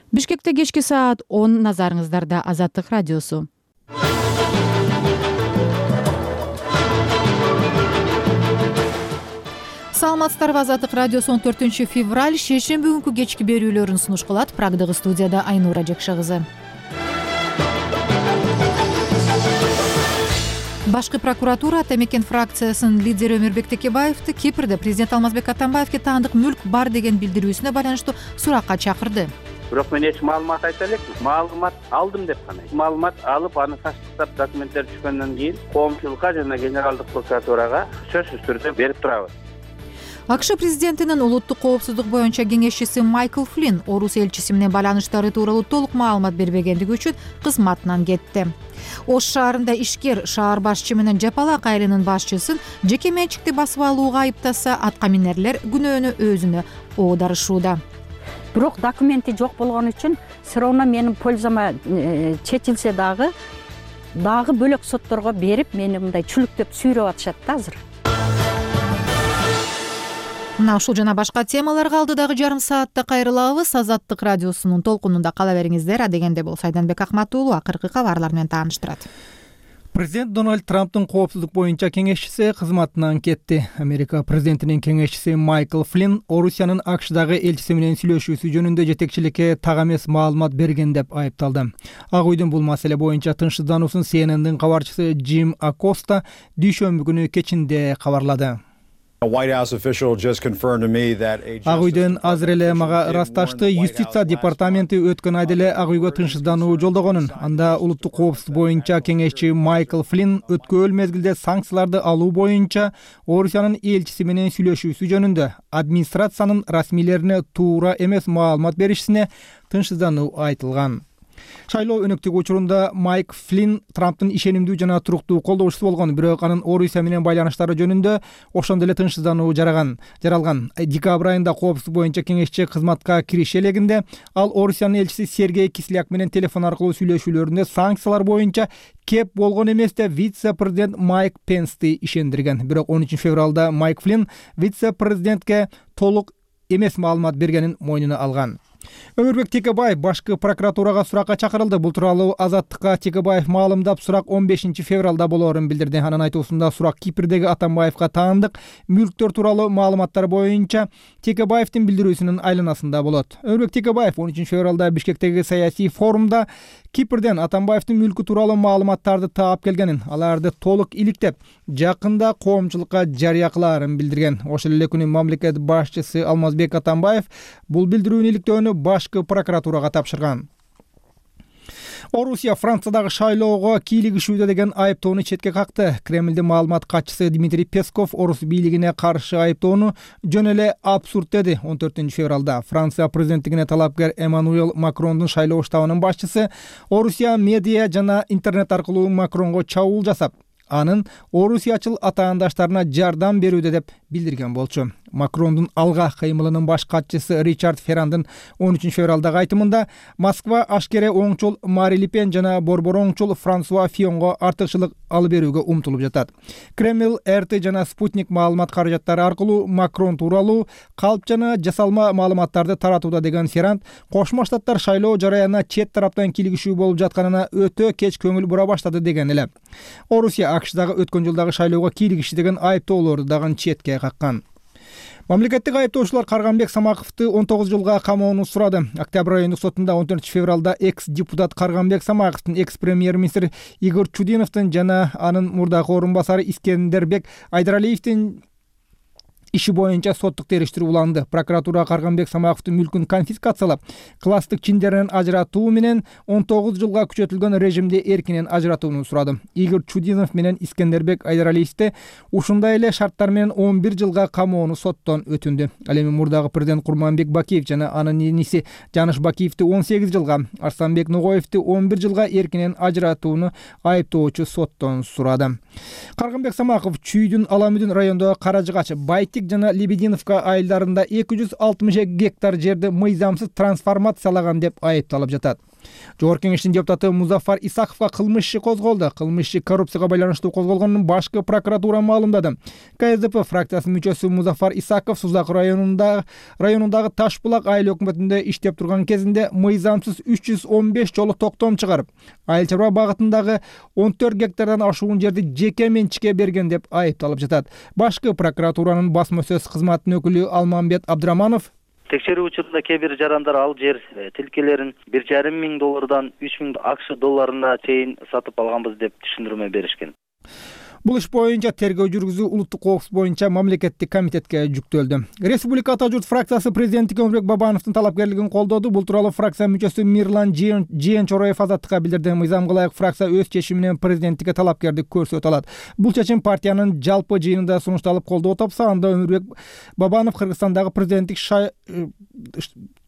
Бишкекте кечки саат 10 назарыңыздарда Азаттык радиосу. Саламатсыздарбы, Азаттык радиосу 14-февраль шейшемби күнкү кечки берүүлөрүн сунуш кылат. Прагдагы студияда Айнура Жекша кызы. Башкы прокуратура Ата мекен фракциясынын лидери Өмүрбек Текебаевди Кипрде президент Алмазбек Атамбаевге таандык мүлк бар деген билдирүүсүнө байланыштуу суракка чакырды. Бирок мен эч маалымат айта элекмин. Маалымат алдым деп гана. Маалымат алып, аны тастап документтер түшкөндөн кийин коомчулукка жана генералдык прокуратурага сөзсүз түрдө берип турабыз. АКШ президентинин улуттук коопсуздук боюнча кеңешчиси Майкл Флинн Орус элчиси менен байланыштары тууралуу толук маалымат бербегендиги үчүн кызматынан кетти. Ош шаарында ишкер шаар башчы менен жапалак айылынын башчысын жеке менчикти басып алууга айыптаса, атка минерлер күнөөнү өзүнө оодарышууда. Бирок документи жок болгон үчүн все равно менин пользама чечилсе дагы бөлөк сотторго берип, мени мындай чүлүктөп сүйрөп атышат да азыр. Мына ушул жана башка темаларга алдыдагы жарым саатта кайрылабыз. Азаттык радиосунун толкунунда кала бериңиздер. Адегенде болсо Айданбек Акматуулу акыркы кабарлар менен тааныштырат. Президент Дональд Трамптын коопсуздук боюнча кеңешчиси кызматынан кетти. Америка президентинин кеңешчиси Майкл Флинн Орусиянын АКШдагы элчиси менен сүйлөшүүсү жөнүндө жетекчиликке так эмес маалымат берген деп айыпталды. Ак үйдүн бул маселе боюнча тынчсыздануусун CNN'дин кабарчысы Джим Акоста дүйшөмбү күнү кечинде кабарлады. Ак үйдөн азыр эле мага ырасташты. Юстиция департаменти өткөн айда эле Ак үйгө тынчсыздануу жолдогонун. Анда улуттук коопсуздук боюнча кеңешчи Майкл Флинн өткөн мезгилде санкцияларды алуу боюнча Орусиянын элчиси менен сүйлөшүүсү жөнүндө администрациянын расмийлерине туура эмес маалымат беришисине тынчсыздануу айтылган. Шайлоо өнөктүгү учурунда Майк Флинн Трамптын ишенимдүү жана туруктуу колдоочусу болгон, бирок анын Орусия менен байланыштары жөнүндө ошондо эле тынчсыздануу жаралган. Декабрь айында коопсуздук боюнча кеңешчи кызматка кириши элегинде ал Орусиянын элчиси Сергей Кисляк менен телефон аркылуу сүйлөшүүлөрүндө санкциялар боюнча кеп болгон эмес деп вице-президент Майк Пенсти ишендирген. Бирок 13 февралда Майк Флинн вице-президентке толук эмес маалымат бергенин мойнуна алган. Өмүрбек Текебаев башкы прокуратурага суракка чакырылды. Бул тууралуу Азаттыкка Текебаев маалымдап, сурак 15 февралда болоорун билдирди. Анын айтуусунда сурак Кипрдеги Атамбаевка таандык мүлктөр тууралуу маалыматтар боюнча Текебаевдин билдирүүсүнүн айланасында болот. Өмүрбек Текебаев 13 февралда Бишкектеги саясий форумда Кипрден Атамбаевдин мүлкү тууралуу маалыматтарды таап келгенин, аларды толук иликтеп, жакында коомчулукка жарыя кылаарын билдирген. Ошол эле күнү мамлекет башчысы Алмазбек Атамбаев бул билдирүүнү иликтөөнү башкы прокуратурага тапшырган. Орусия Франциядагы шайлоого кийлигишүүдө деген айыптоону четке какты. Кремлдин маалымат катчысы Дмитрий Песков Орус бийлигине каршы айыптоону жөн эле абсурд деди. 14 февралда Франция президенттигине талапкер Эммануэл Макрондун шайлоо штабынын башчысы Орусия медиа жана интернет аркылуу Макронго чабуул жасап, анын орусиячыл атаандаштарына жардам берүүдө деп билдирген болчу. Макрондун алга кыймылынын баш катчысы Ричард Феррандын 13 февралдагы айтымында Москва ашкере оңчул Мари Ле Пен жана борбор оңчул Франсуа Фионго артыкчылык алып берүүгө умтулуп жатат. Кремль, РТ жана Спутник маалымат каражаттары аркылуу Макрон тууралуу калп жана жасалма маалыматтарды таратууда деген Ферранд Кошмо Штаттар шайлоо жараянына чет тараптан кийлигишүү болуп жатканына өтө кеч көңүл бура баштады деген эле. Орусия АКШдагы өткөн жылдагы шайлоого кийлигишти деген айыптоолорду дагы четке каккан. Мамлекеттик айыптоочулар Карганбек Самаковду 19 жылга камоону сурады. Октябрь айындык сотунда 14 февралда экс-депутат Карганбек Самаковдун, экс-премьер-министр Игорь Чудиновдун жана анын мурдагы орун басары Искендербек Айдаралиевдин иши боюнча соттук териштирүү уланды. Прокуратура Карганбек Самаковдун мүлкүн конфискациялап, класстык чиндеринен ажыратуу менен 19 жылга күчөтүлгөн режимде эркинен ажыратууну сурады. Игорь Чудинов менен Искендербек Айдаралиевди ушундай эле шарттар менен 11 жылга камоону соттон өтүндү. Ал эми мурдагы президент Курманбек Бакиев жана анын иниси Жаныш Бакиевди 18 жылга, Арсланбек Ногоевди 11 жылга эркинен ажыратууну айыптоочу соттон сурады. Карганбек Самаков Чүйдүн Аламүдүн райондогу Каражыгач, Байтик жана Лебединовка айылдарында 260 гектар жерди мыйзамсыз трансформациялаган деп айыпталып жатат. Жогорку Кеңештин депутаты Музафар Исаковго кылмыш иши козголду. Кылмыш иши коррупцияга байланыштуу козголгонун башкы прокуратура маалымдады. КСДП фракциясынын мүчөсү Музафар Исаков Сузак районундагы Таш булак айыл өкмөтүндө иштеп турган кезинде мыйзамсыз 315 жолу токтом чыгарып, айыл чарба багытындагы 14 гектардан ашуун жерди жеке менчикке берген деп айыпталып жатат. Башкы прокуратуранын басма сөз кызматынын өкүлү Алмамбет Абдыраманов текшерүү учурунда кээ бир жарандар ал жер тилкелерин $1,5 миң 3 миң АКШ долларына чейин сатып алганбыз деп түшүндүрмө беришкен. Бул иш боюнча тергөө жүргүзүү улуттук коопсуздук боюнча мамлекеттик комитетке жүктөлдү. Республика Ата журт фракциясы президенттикке Өмүрбек Бабановдун талапкерлигин колдоду. Бул тууралуу фракция мүчөсү Мирлан Жиенчороев Азаттыкка билдирди. Мыйзамга ылайык фракция өз чечими менен президенттикке талапкердик көрсөтө алат. Бул чечим партиянын жалпы жыйынында сунушталып колдоо тапса, анда Өмүрбек Бабанов Кыргызстандагы президенттик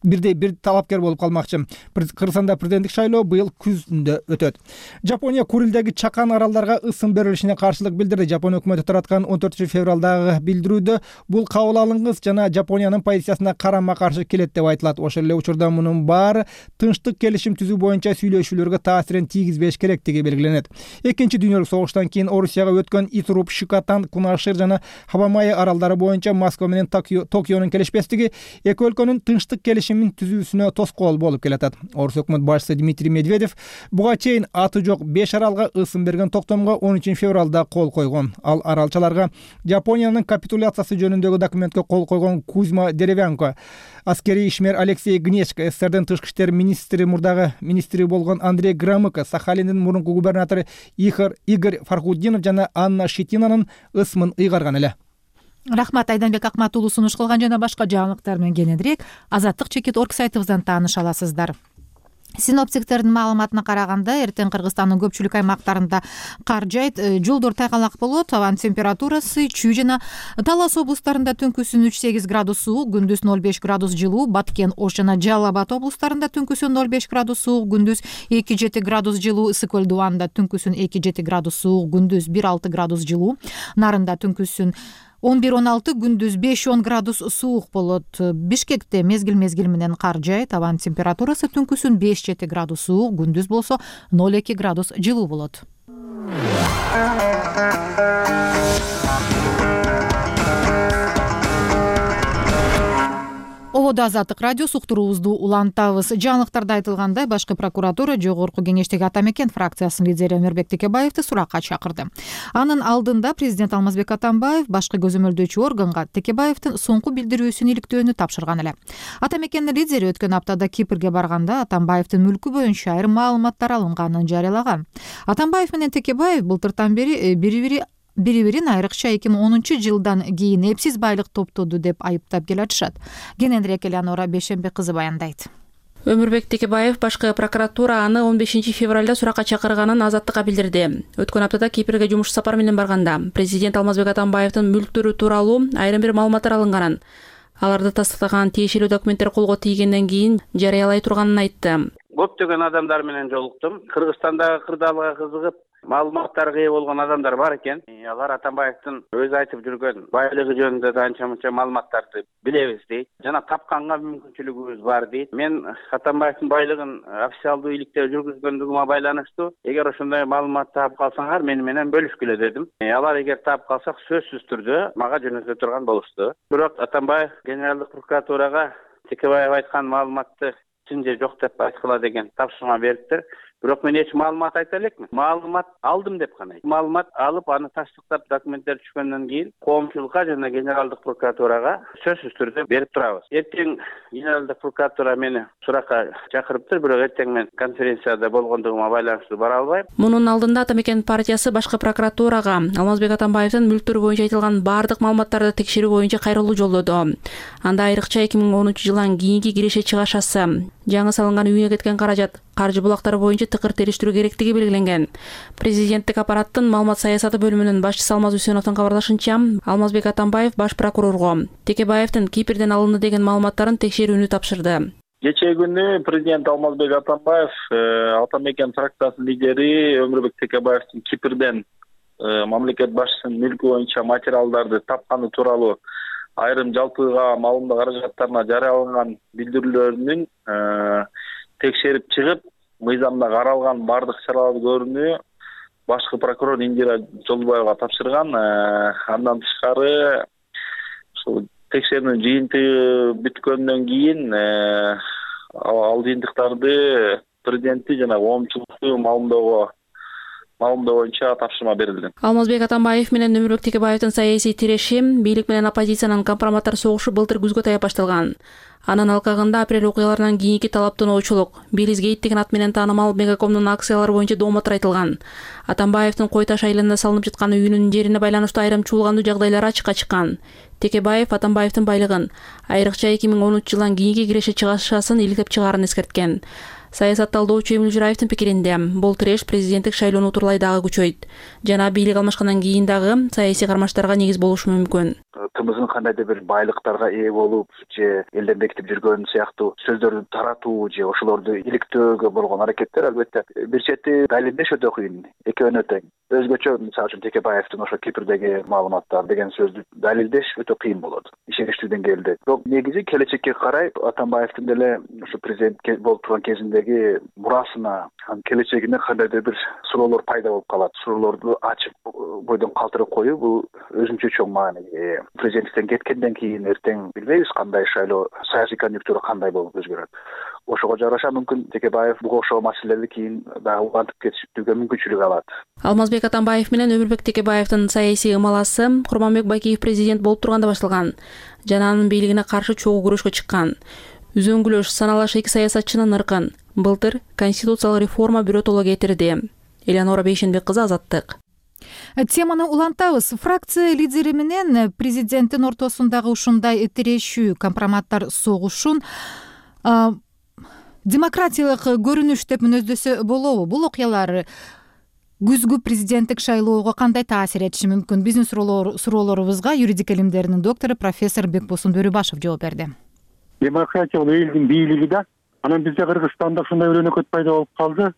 бир талапкер болуп калмакчы. Кыргызстанда президенттик шайлоо быйыл күздө өтөт. Жапония Курилдеги Чакан аралдарга ысым берилишине каршылык билдирди. Жапон өкмөтү тараткан 14 февралдагы билдирүүдө бул кабыл алынгыс жана Жапониянын позициясына карама каршы келет деп айтылат. Ошол эле учурда мунун баары тынчтык келишим түзүү боюнча сүйлөшүүлөргө таасирин тийгизбеш керектиги белгиленет. Экинчи дүйнөлүк согуштан кийин Орусияга өткөн Итуруп, Шикотан, Кунашир жана Хабамай аралдары боюнча Москва менен Токионун келишпестиги эки өлкөнүн тынчтык келишимин түзүүсүнө тоскоол болуп келатат. Орус өкмөт башчысы Дмитрий Медведев буга чейин аты жок 5 аралга ысым берген токтомго 13 февралда кол койгон. Ал аралчаларга Жапониянын капитуляциясы жөнүндөгү документке кол койгон Кузьма Деревянко, аскерий ишмер Алексей Гнечко, СССРдин тышкы иштер министри мурдагы министри болгон Андрей Громыко, Сахалиндин мурунку губернатору Игорь Фархуддинов жана Анна Щетинанын ысымын ыйгарган эле. Рахмат, Айданбек Акмат уулу сунуш кылган жана башка жаңылыктар менен кененирээк Азаттык.org сайтыбыздан тааныша аласыздар. Синоптиктердин маалыматына караганда, эртең Кыргызстандын көпчүлүк аймактарында кар жайт, жолдор тайгалак болот. Абан температурасы Чүй жана Талас облустарында түнкүсүн 3-8 градус суук, күндүз 0,5 градус жылуу, Баткен, Ош жана Жалал Абад облустарында түнкүсүн 0,5 градус суук, күндүз 2-7 градус жылуу, Ысык Көл Дубанда түнкүсүн 2-7 градус суук, күндүз 1-6 градус жылуу, Нарында түнкүсүн 11-16, күндүз 5-10 градус суук болот. Бишкекте мезгил менен кар жайт, абан температурасы түнкүсүн 5-7 градус суук, күндүз болсо 0,2 градус жылуу болот. Ободо Азаттык радиосу уктуруубузду улантабыз. Жаңылыктарда айтылгандай, башкы прокуратура Жогорку Кеңештеги Ата Мекен фракциясынын лидери Өмүрбек Текебаевди суракка чакырды. Анын алдында президент Алмазбек Атамбаев башкы көзөмөлдөөчү органга Текебаевдин соңку билдирүүсүн иликтөөнү тапшырган эле. Ата Мекендин лидери өткөн аптада Кипрге барганда Атамбаевдин мүлкү боюнча айрым маалыматтар алынганын жарыялаган. Атамбаев менен Текебаев былтыртан бери бири-бирин айрыкча 2010 жылдан кийин эпсиз байлык топтоду деп айыптап келатышат. Кененирээк Элеонора Бейшембек кызы баяндайт. Өмүрбек Текебаев башкы прокуратура аны 15 февралда суракка чакырганын Азаттыкка билдирди. Өткөн аптада Кипрге жумуш сапар менен барганда президент Алмазбек Атамбаевдин мүлктөрү тууралуу айрым бир маалыматтар алынганын, аларды тастыктаган тиешелүү документтер колго тийгенден кийин жарыялай турганын айтты. Көптөгөн адамдар менен жолуктум. Кыргызстандагы кырдаалга кызыгып, маалыматтарга ээ болгон адамдар бар экен. Алар Атамбаевдин өзү айтып жүргөн байлыгы жөнүндө да анча-мынча маалыматтарды билебиз дейт. Жана тапканга мүмкүнчүлүгүбүз бар дейт. Мен Атамбаевдин байлыгын официалдуу иликте жүргүзгөндүгүмө байланыштуу эгер ошондой маалымат таап калсаңар мени менен бөлүшкүлө дедим. Алар эгер таап калсак сөзсүз түрдө мага жөнөтө турган болушту. Бирок Атамбаев генералдык прокуратурага Текебаев айткан маалыматты чын же жок деп айткыла деген тапшырма бериптир. Бирок мен эч маалымат айта элекмин. Маалымат алдым деп гана. Маалымат алып, аны тастыктап документтер түшкөндөн кийин коомчулукка жана генералдык прокуратурага сөзсүз түрдө берип турабыз. Эртең генералдык прокуратура мени суракка чакырыптыр, бирок эртең мен конференцияда болгондугума байланыштуу бара албайм. Мунун алдында Ата Мекен партиясы башкы прокуратурага Алмазбек Атамбаевдин мүлктөрү боюнча айтылган бардык маалыматтарды текшерүү боюнча кайрылуу жолдоду. Анда айрыкча 2010 жылдан кийинки киреше чыгашасы, жаңы салынган үйүнө кеткен каражат, каржы булактары боюнча тыкыр териштирүү керектиги белгиленген. Президенттик аппараттын маалымат саясаты бөлүмүнүн башчысы Алмаз Үсеновдун кабарлашынча, Алмазбек Атамбаев баш прокурорго Текебаевдин Кипрден алынды деген маалыматтарын текшерүүнү тапшырды. Кечээ күнү президент Алмазбек Атамбаев Ата Мекен фракциясынын лидери Өмүрбек Текебаевдин Кипрден мамлекет башчысынын мүлкү боюнча материалдарды тапканы тууралуу айрым жалпыга маалымдоо каражаттарына жарыяланган билдирүүлөрүнүн текшерип чыгып, мыйзамда каралган баардык чараларды көрүүнү башкы прокурор Индира Жолдубаевага тапшырган. Андан тышкары ушул текшерүүнүн жыйынтыгы бүткөндөн кийин ал жыйынтыктарды президентти жана коомчулукту маалымдоо боюнча тапшырма берилди. Алмазбек Атамбаев менен Өмүрбек Текебаевдин саясий тиреши, бийлик менен оппозициянын компроматтар согушу былтыр күзгө таяп башталган. Анын алкагында апрель окуяларынан кийинки талаптоочулук, Билизгейт деген ат менен таанымал Мегакомдун акциялары боюнча дооматтар айтылган. Атамбаевдин Кой Таш айылында салынып жаткан үйүнүн жерине байланыштуу айрым чуулгандуу жагдайлар ачыкка чыккан. Текебаев Атамбаевдин байлыгын, айрыкча 2013 жылдан кийинки киреше чыгашасын иликтеп чыгаарын эскерткен. Саясат талдоочу Эмил Жураевдин пикиринде бул тиреш президенттик шайлоону утурлай дагы күчөйт жана бийлик алмашкандан кийин дагы саясий кармаштарга негиз болушу мүмкүн. Тымыздын кандайдыр бир байлыктарга ээ болуп же элден бекитип жүргөн сыяктуу сөздөрдү таратуу же ошолорду иликтөөгө болгон аракеттер албетте бир чети далилдеш өтө кыйын, экөөнө тең. Өзгөчө мисалы үчүн Текебаевдин ошо Кипрдеги маалыматтар деген сөздү далилдеш өтө кыйын болот ишеничтүү деңгээлде. Бирок негизи келечекке карай Атамбаевдин деле ошо президент болуп турган кезиндеги мурасына, келечегине кандайдыр бир суроолор пайда болуп калат. Суроолорду ачып бойдон калтырып коюу бул өзүнчө чоң мааниге ээ. Президенттиктен кеткенден кийин эртең билбейбиз кандай шайлоо, саясий конъюнктура кандай болуп өзгөрөт. Ошого жараша мүмкүн Текебаев буга окшогон маселелерди кийин дагы улантып кетүүгө мүмкүнчүлүк алат. Алмазбек Атамбаев менен Өмүрбек Текебаевдин саясий ымаласы Курманбек Бакиев президент болуп турганда башталган жана анын бийлигине каршы чогуу күрөшкө чыккан. Үзөңгүлөш саналаш эки саясатчынын ыркын былтыр конституциялык реформа биротоло кетирди. Элеонора Бейшенбек кызы, Азаттык. Теманы улантабыз. Фракция лидери менен президенттин ортосундагы ушундай тирешүү, компроматтар согушун демократиялык көрүнүш деп мүнөздөсө болобу? Бул окуялар күзгү президенттик шайлоого кандай таасир этиши мүмкүн? Биздин суроолорубузга юридика илимдеринин доктору профессор Бекбосун Бөрүбашев жооп берди. Демократия бул элдин бийлиги да. Анан бизде Кыргызстанда ушундай өрөнөкөт пайда болуп калды.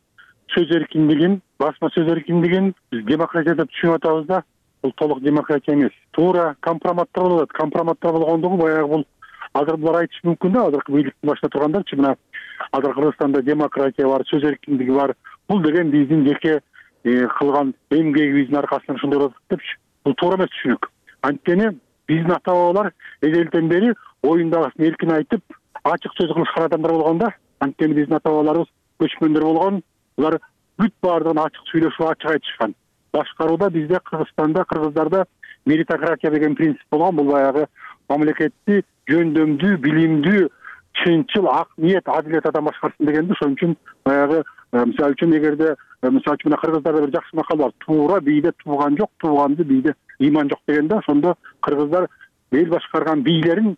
Сөз эркиндигин, басма сөз эркиндигин биз демократия деп түшүнүп атабыз да. Бул толук демократия эмес. Туура компроматтар болот. Компроматтар болгондугу баягы бул азыр булар айтышы мүмкүн да, азыркы бийликтин башында тургандарчы, мына азыр Кыргызстанда демократия бар, сөз эркиндиги бар. Бул деген биздин жеке кылган эмгегибиздин аркасынан ушундай болот депчи. Бул туура эмес түшүнүк. Анткени биздин ата бабалар эзелден бери оюндагысын эркин айтып, ачык сөз кылышкан адамдар болгон да. Анткени биздин ата бабаларыбыз көчмөндөр болгон. Булар бүт баардыгын ачык сүйлөшүп, ачык айтышкан. Башкарууда бизде Кыргызстанда, кыргыздарда меритократия деген принцип болгон. Бул баягы мамлекетти жөндөмдүү, билимдүү, чынчыл, ак ниет, адилет адам башкарсын дегенди. Ошон үчүн баягы мисалы үчүн эгерде мисалы үчүн кыргыздарда бир жакшы макал бар. Туура бийде тууган жок, тууганды бийде ыйман жок дегенде. Ошондо кыргыздар эл башкарган бийлерин,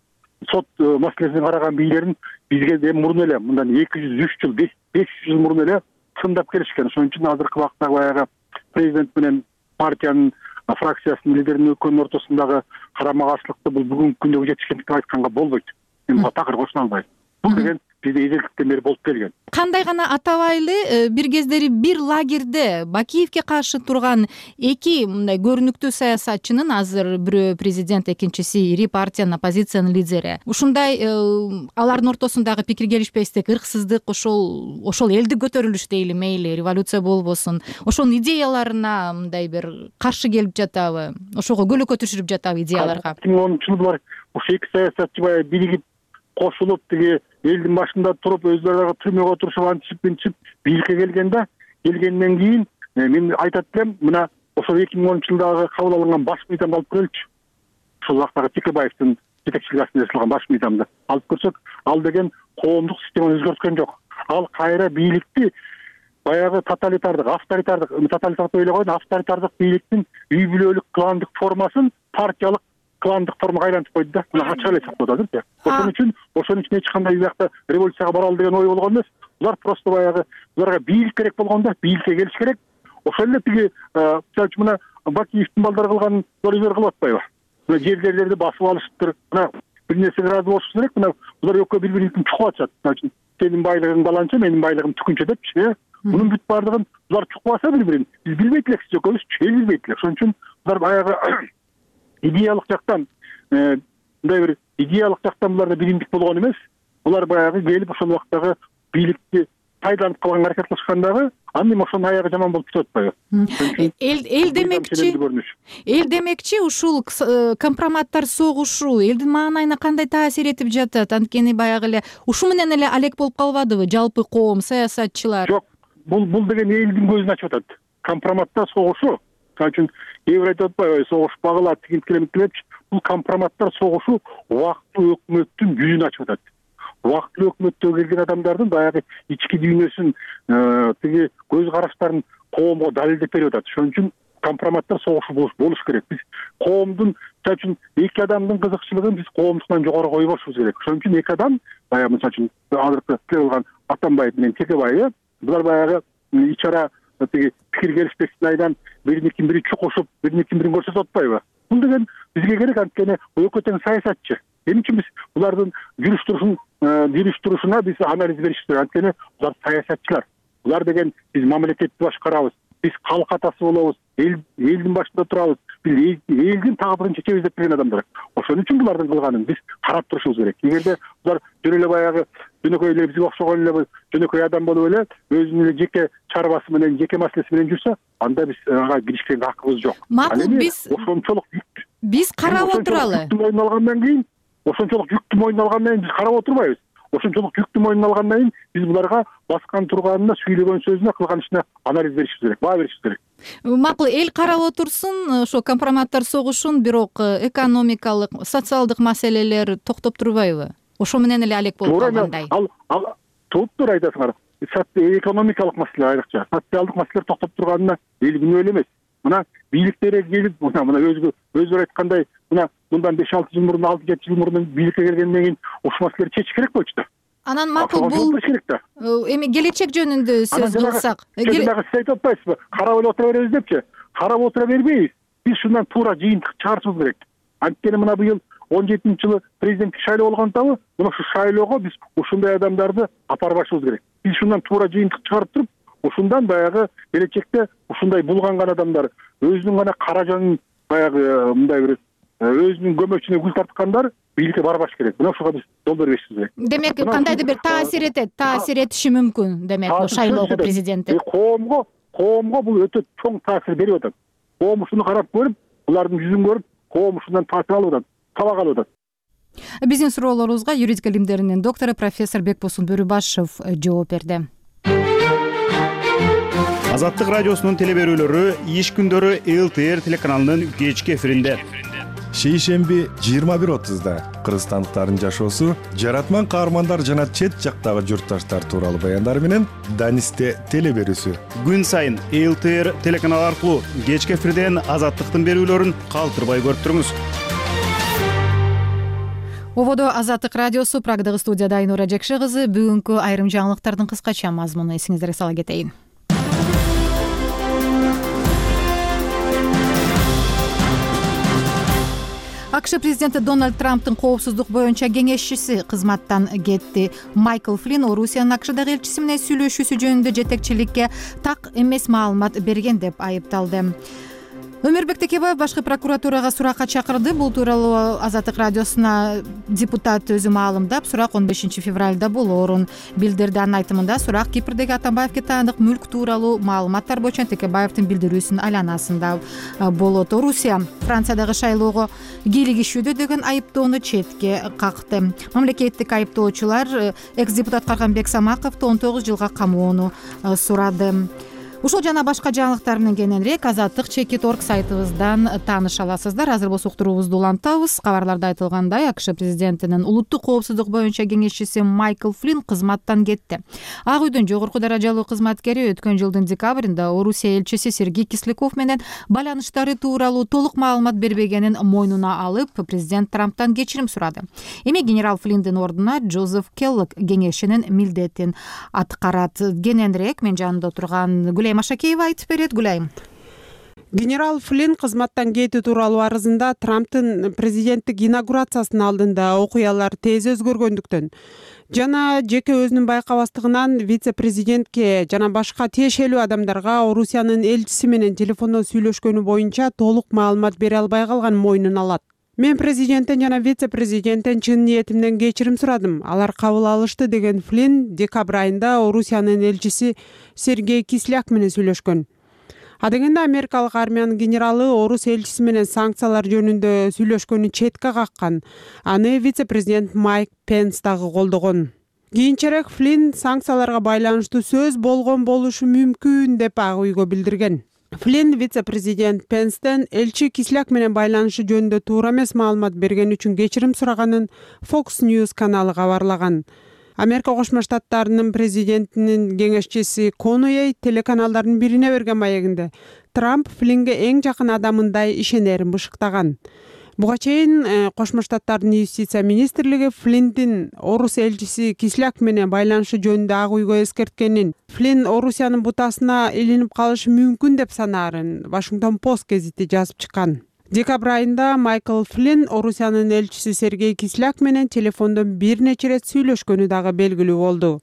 сот маселесине караган бийлерин бизге де мурун эле мындан 200-3 жыл, 500 жыл мурун эле тындап келишкен. Ошон үчүн азыркы убакта баягы президент менен партиянын фракциясынын лидеринин экөөнүн ортосундагы карама каршылыкты бул бүгүнкү күндөгү жетишкендик деп айтканга болбойт. Мен буга такыр кошуна албайм. Бул деген бизде эзелдиктен бери болуп келген. Кандай гана атабайлы бир кездери бир лагерде Бакиевке каршы турган эки мындай көрүнүктүү саясатчынын, азыр бирөө президент, экинчиси ири партиянын, оппозициянын лидери. Ушундай алардын ортосундагы пикир келишпестик, ырксыздык, ошол элдик көтөрүлүш дейли, мейли революция болбосун, ошонун идеяларына мындай бир каршы келип жатабы? Ошого көлөкө түшүрүп жатабы идеяларга? 2010 жылы булар ошо эки саясатчы баягы биригип кошулуп тиги элдин башында туруп өздөрү түрмөгө отурушуп антип бийликке келгенден кийин мен айтат элем, мына ошол 2010 жылдагы кабыл алынган баш мыйзамды алып көрөлүчү. Ошол убактагы Текебаевдин жетекчилиги астында жасалган баш мыйзамды алып көрсөк, ал деген коомдук системаны өзгөрткөн жок. Ал кайра бийликти баягы тоталитардык ойлогон авторитардык бийликтин үй бүлөлүк кландык формасын партиялык кландык формага айлантып койду да. Мына ачык эле айтсак болот азыр. Ошон үчүн эч кандай биякта революцияга баралы деген ой болгон эмес. Булар просто баягы буларга бийлик керек болгон да, бийликке келиш керек. Ошол эле тиги мисалы үчүн мына Бакиевдин балдары кылган зорлуктар кылып атпайбы? Мына жерлерди басып алышыптыр. Мына бир нерсеге ыраазы болуш керек. Мына булар экөө бири-бирин чукуп атышат. Мисалы үчүн сенин байлыгың баланча, менин байлыгым түкүнчө депчи. Мунун бүт баардыгын булар чукуп алса бири-бирин биз билбейт элек, сиз экөөбүз эл билбейт элек. Ошон үчүн булар баягы идеялык жактан мындай бир идеялык жактан буларда биримдик болгон эмес. Булар баягы келип ошол убактагы бийликти пайдаланып калганга аракет кылышкандагы анда эми ошонун аягы жаман болуп кетип атпайбы? Эл демекчи ушул компроматтар согушу элдин маанайына кандай таасир этип жатат? Анткени баягы эле ушу менен эле алек болуп калбадыбы жалпы коом, саясатчылар? Жок, бул деген элдин көзүн ачып атат. Компроматтар согушу, мисалы үчүн кээ бир айтып атпайбы, согушпагыла тигинтикелепчи. Бул компроматтар согушу убактылуу өкмөттүн жүзүн ачып атат. Убактылуу өкмөттө келген адамдардын баягы ички дүйнөсүн, тиги көз караштарын коомго далилдеп берип атат. Ошон үчүн компроматтар согушу болуш керек. Биз коомдун, мисалы үчүн эки адамдын кызыкчылыгын биз коомдуктан жогору койбошубуз керек. Ошон үчүн эки адам, баягы мисалы үчүн азыркы кылган Атамбаев менен Текебай, булар баягы ич ара тиги пикир келишпестиктин айынан бири чукушуп, бирин көрсөтүп атпайбы? Бул деген бизге керек, анткени экөө тең саясатчы. Эмне үчүн биз булардын жүрүш-турушуна биз анализ беришибиз керек. Анткени булар саясатчылар. Булар деген биз мамлекетти башкарабыз, биз калк атасы болобуз, элдин башында турабыз, биз элдин тагдырын чечебиз деп берген адамдар. Ошон үчүн булардын кылганын биз карап турушубуз керек. Эгерде булар жөн эле баягы жөнөкөй эле бизге окшогон эле жөнөкөй адам болуп эле өзүнүн эле жеке чарбасы менен, жеке маселеси менен жүрсө, анда биз ага киришкенге хакыбыз жок. Макул, биз карап отуралы. Ошончолук жүктү мойнуна алгандан кийин биз карап отурбайбыз. Ошончолук жүктү мойнуна алгандан кийин биз буларга баскан турганына, сүйлөгөн сөзүнө, кылган ишине анализ беришибиз керек, баа беришибиз керек. Макул, эл карап отурсун, ошо компроматтар согушун, бирок экономикалык, социалдык маселелер токтоп турбайбы? Ошо менен эле алек болуп калгандай. Ал тууптур айтасыңар. Экономикалык маселе айрыкча, социалдык маселелер токтоп турганына эл күнөө эле эмес. Мына бийликтерге келип, мына өзүлөр айткандай, мындан 5-6 жыл мурун, 6-7 жыл мурун бийликке келгенден кийин ушул маселелерди чечиш керек болчу да. Анан макул, бул эми келечек жөнүндө сөз кылсак. Сиз айтып атпайсызбы? Карап эле отура беребиз депчи. Карап отура бербейбиз. Биз шундан туура жыйынтык чыгарышыбыз керек. Анткени мына быйыл 17-жылы президенттик шайлоо болгондабы, мына ушул шайлоого биз ушундай адамдарды апарбашыбыз керек. Биз шундан туура жыйынтык чыгарып туруп, ушундан баягы келечекте ушундай булганган адамдар, өзүнүн гана каражанын баягы мындай бир өзүнүн көмөчүнө гүл тарткандар бийликке барбаш керек. Мына ушуга биз жол бербешибиз керек. Демек, кандайдыр бир таасир этиши мүмкүн, демек, бул шайлоого президенттик. Коомго бул өтө чоң таасир берип атат. Коом ушуну карап көрүп, булардын жүзүн көрүп, коом ушундан таасир алып атат, сабак алып атат. Биздин суроолорубузга юридика илимдеринин доктору профессор Бекбосун Бөрүбашев жооп берди. Азаттык радиосунун телеберүүлөрү иш күндөрү ЛТР телеканалынын кечки эфиринде. Шейшемби 21:30 кыргызстандыктардын жашоосу, жаратман каармандар жана чет жактагы журтташтар тууралуу баяндар менен Данисте телеберүүсү. Күн сайын ЛТР телеканалы аркылуу кечки эфирден Азаттыктын берүүлөрүн калтырбай көрүп туруңуз. Ободо Азаттык радиосу, Прагдагы студияда Айнура Жекши кызы. Бүгүнкү айрым жаңылыктардын кыскача мазмуну эсиңиздерге сала кетейин. АКШ президенти Дональд Трамптын коопсуздук боюнча кеңешчиси кызматтан кетти. Майкл Флинн Орусиянын АКШдагы элчиси менен сүйлөшүүсү жөнүндө жетекчиликке так эмес маалымат берген деп айыпталды. Өмүрбек Текебаев башкы прокуратурага суракка чакырды. Бул тууралуу Азаттык радиосуна депутат өзү маалымдап, сурак 15 февралда болоорун билдирди. Анын айтымында сурак Кипрдеги Атамбаевге таандык мүлк тууралуу маалыматтар боюнча Текебаевдин билдирүүсүнүн айланасында болот. Орусия Франциядагы шайлоого кийлигишүүдө деген айыптоону четке какты. Мамлекеттик айыптоочулар экс-депутат Карганбек Самаковду 19 жылга камоону сурады. Ушул жана башка жаңылыктар менен кененирээк Азаттык.org сайтыбыздан тааныша аласыздар. Азыр болсо уктуруубузду улантабыз. Кабарларда айтылгандай, АКШ президентинин улуттук коопсуздук боюнча кеңешчиси Майкл Флинн кызматтан кетти. Ак үйдүн жогорку даражалуу кызматкери өткөн жылдын декабрында Орусия элчиси Сергей Кисляков менен байланыштары тууралуу толук маалымат бербегенин мойнуна алып, президент Трамптан кечирим сурады. Эми генерал Флинндин ордуна Джозеф Келлог кеңешчинин милдетин аткарат. Кененирээк мен жанымда отурган Гүлайым Ашакеева айтып берет. Гүлайым. Генерал Флинн кызматтан кетүү тууралуу арызында Трамптын президенттик инаугурациясынын алдында окуялар тез өзгөргөндүктөн жана жеке өзүнүн байкабастыгынан вице-президентке жана башка тиешелүү адамдарга Орусиянын элчиси менен телефондо сүйлөшкөнү боюнча толук маалымат бере албай калган мойнуна алат. Мен президенттен жана вице президенттен чын ниетимден кечирим сурадым. Алар кабыл алышты, деген Флинн декабрь айында Орусиянын элчиси Сергей Кисляк менен сүйлөшкөн. Адегенде америкалык армиянын генералы орус элчиси менен санкциялар жөнүндө сүйлөшкөнү четке каккан. Аны вице-президент Майк Пенс дагы колдогон. Кийинчерээк Флинн санкцияларга байланыштуу сөз болгон болушу мүмкүн деп Ак үйгө билдирген. Флинн вице-президент Пенстен элчи Кисляк менен байланышы жөнүндө туура эмес маалымат берген үчүн кечирим сураганын Fox News каналы кабарлаган. Америка Кошмо Штаттарынын президентинин кеңешчиси Конуэй телеканалдардын бирине берген маегинде Трамп Флиннге эң жакын адамындай ишенерин бышыктаган. Буга чейин Кошмо Штаттардын юстиция министрлиги Флинндин орус элчиси Кисляк менен байланышы жөнүндө Ак үйгө эскерткенин, Флинн Орусиянын бутасына илинип калышы мүмкүн деп санаарын Washington Post гезити жазып чыккан. Декабрь айында Майкл Флинн Орусиянын элчиси Сергей Кисляк менен телефондон бир нече ирет сүйлөшкөнү дагы белгилүү болду.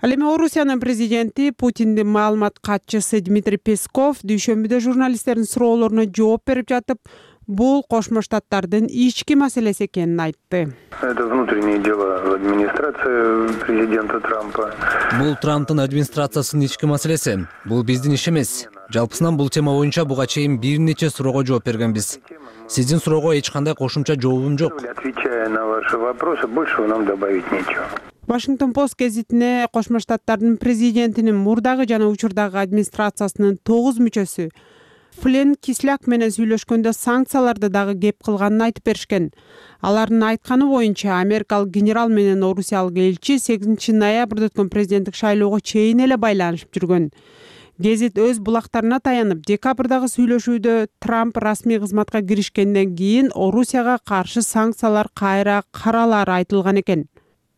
Ал эми Орусиянын президенти Путиндин маалымат катчысы Дмитрий Песков дүйшөмбүдө журналисттердин суроолоруна жооп берип жатып, бул Кошмо Штаттардын ички маселеси экенин айтты. Это внутреннее дело администрации президента Трампа. Бул Трамптын администрациясынын ички маселеси. Бул биздин иш эмес. Жалпысынан бул тема боюнча буга чейин бир нече суроого жооп бергенбиз. Сиздин суроого эч кандай кошумча жообум жок. Отвечая на ваши вопросы, больше нам добавить нечего. Washington Post гезитине Кошмо Штаттардын президентинин мурдагы жана учурдагы администрациясынын 9 мүчөсү Флинн Кисляк менен сүйлөшкөндө санкцияларды дагы кеп кылганын айтып беришкен. Алардын айтканы боюнча, америкалык генерал менен орусиялык элчи 8 ноябрда өткөн президенттик шайлоого чейин эле байланышып жүргөн. Гезит өз булактарына таянып, декабрдагы сүйлөшүүдө Трамп расмий кызматка киришкенден кийин Орусияга каршы санкциялар кайра каралары айтылган экен.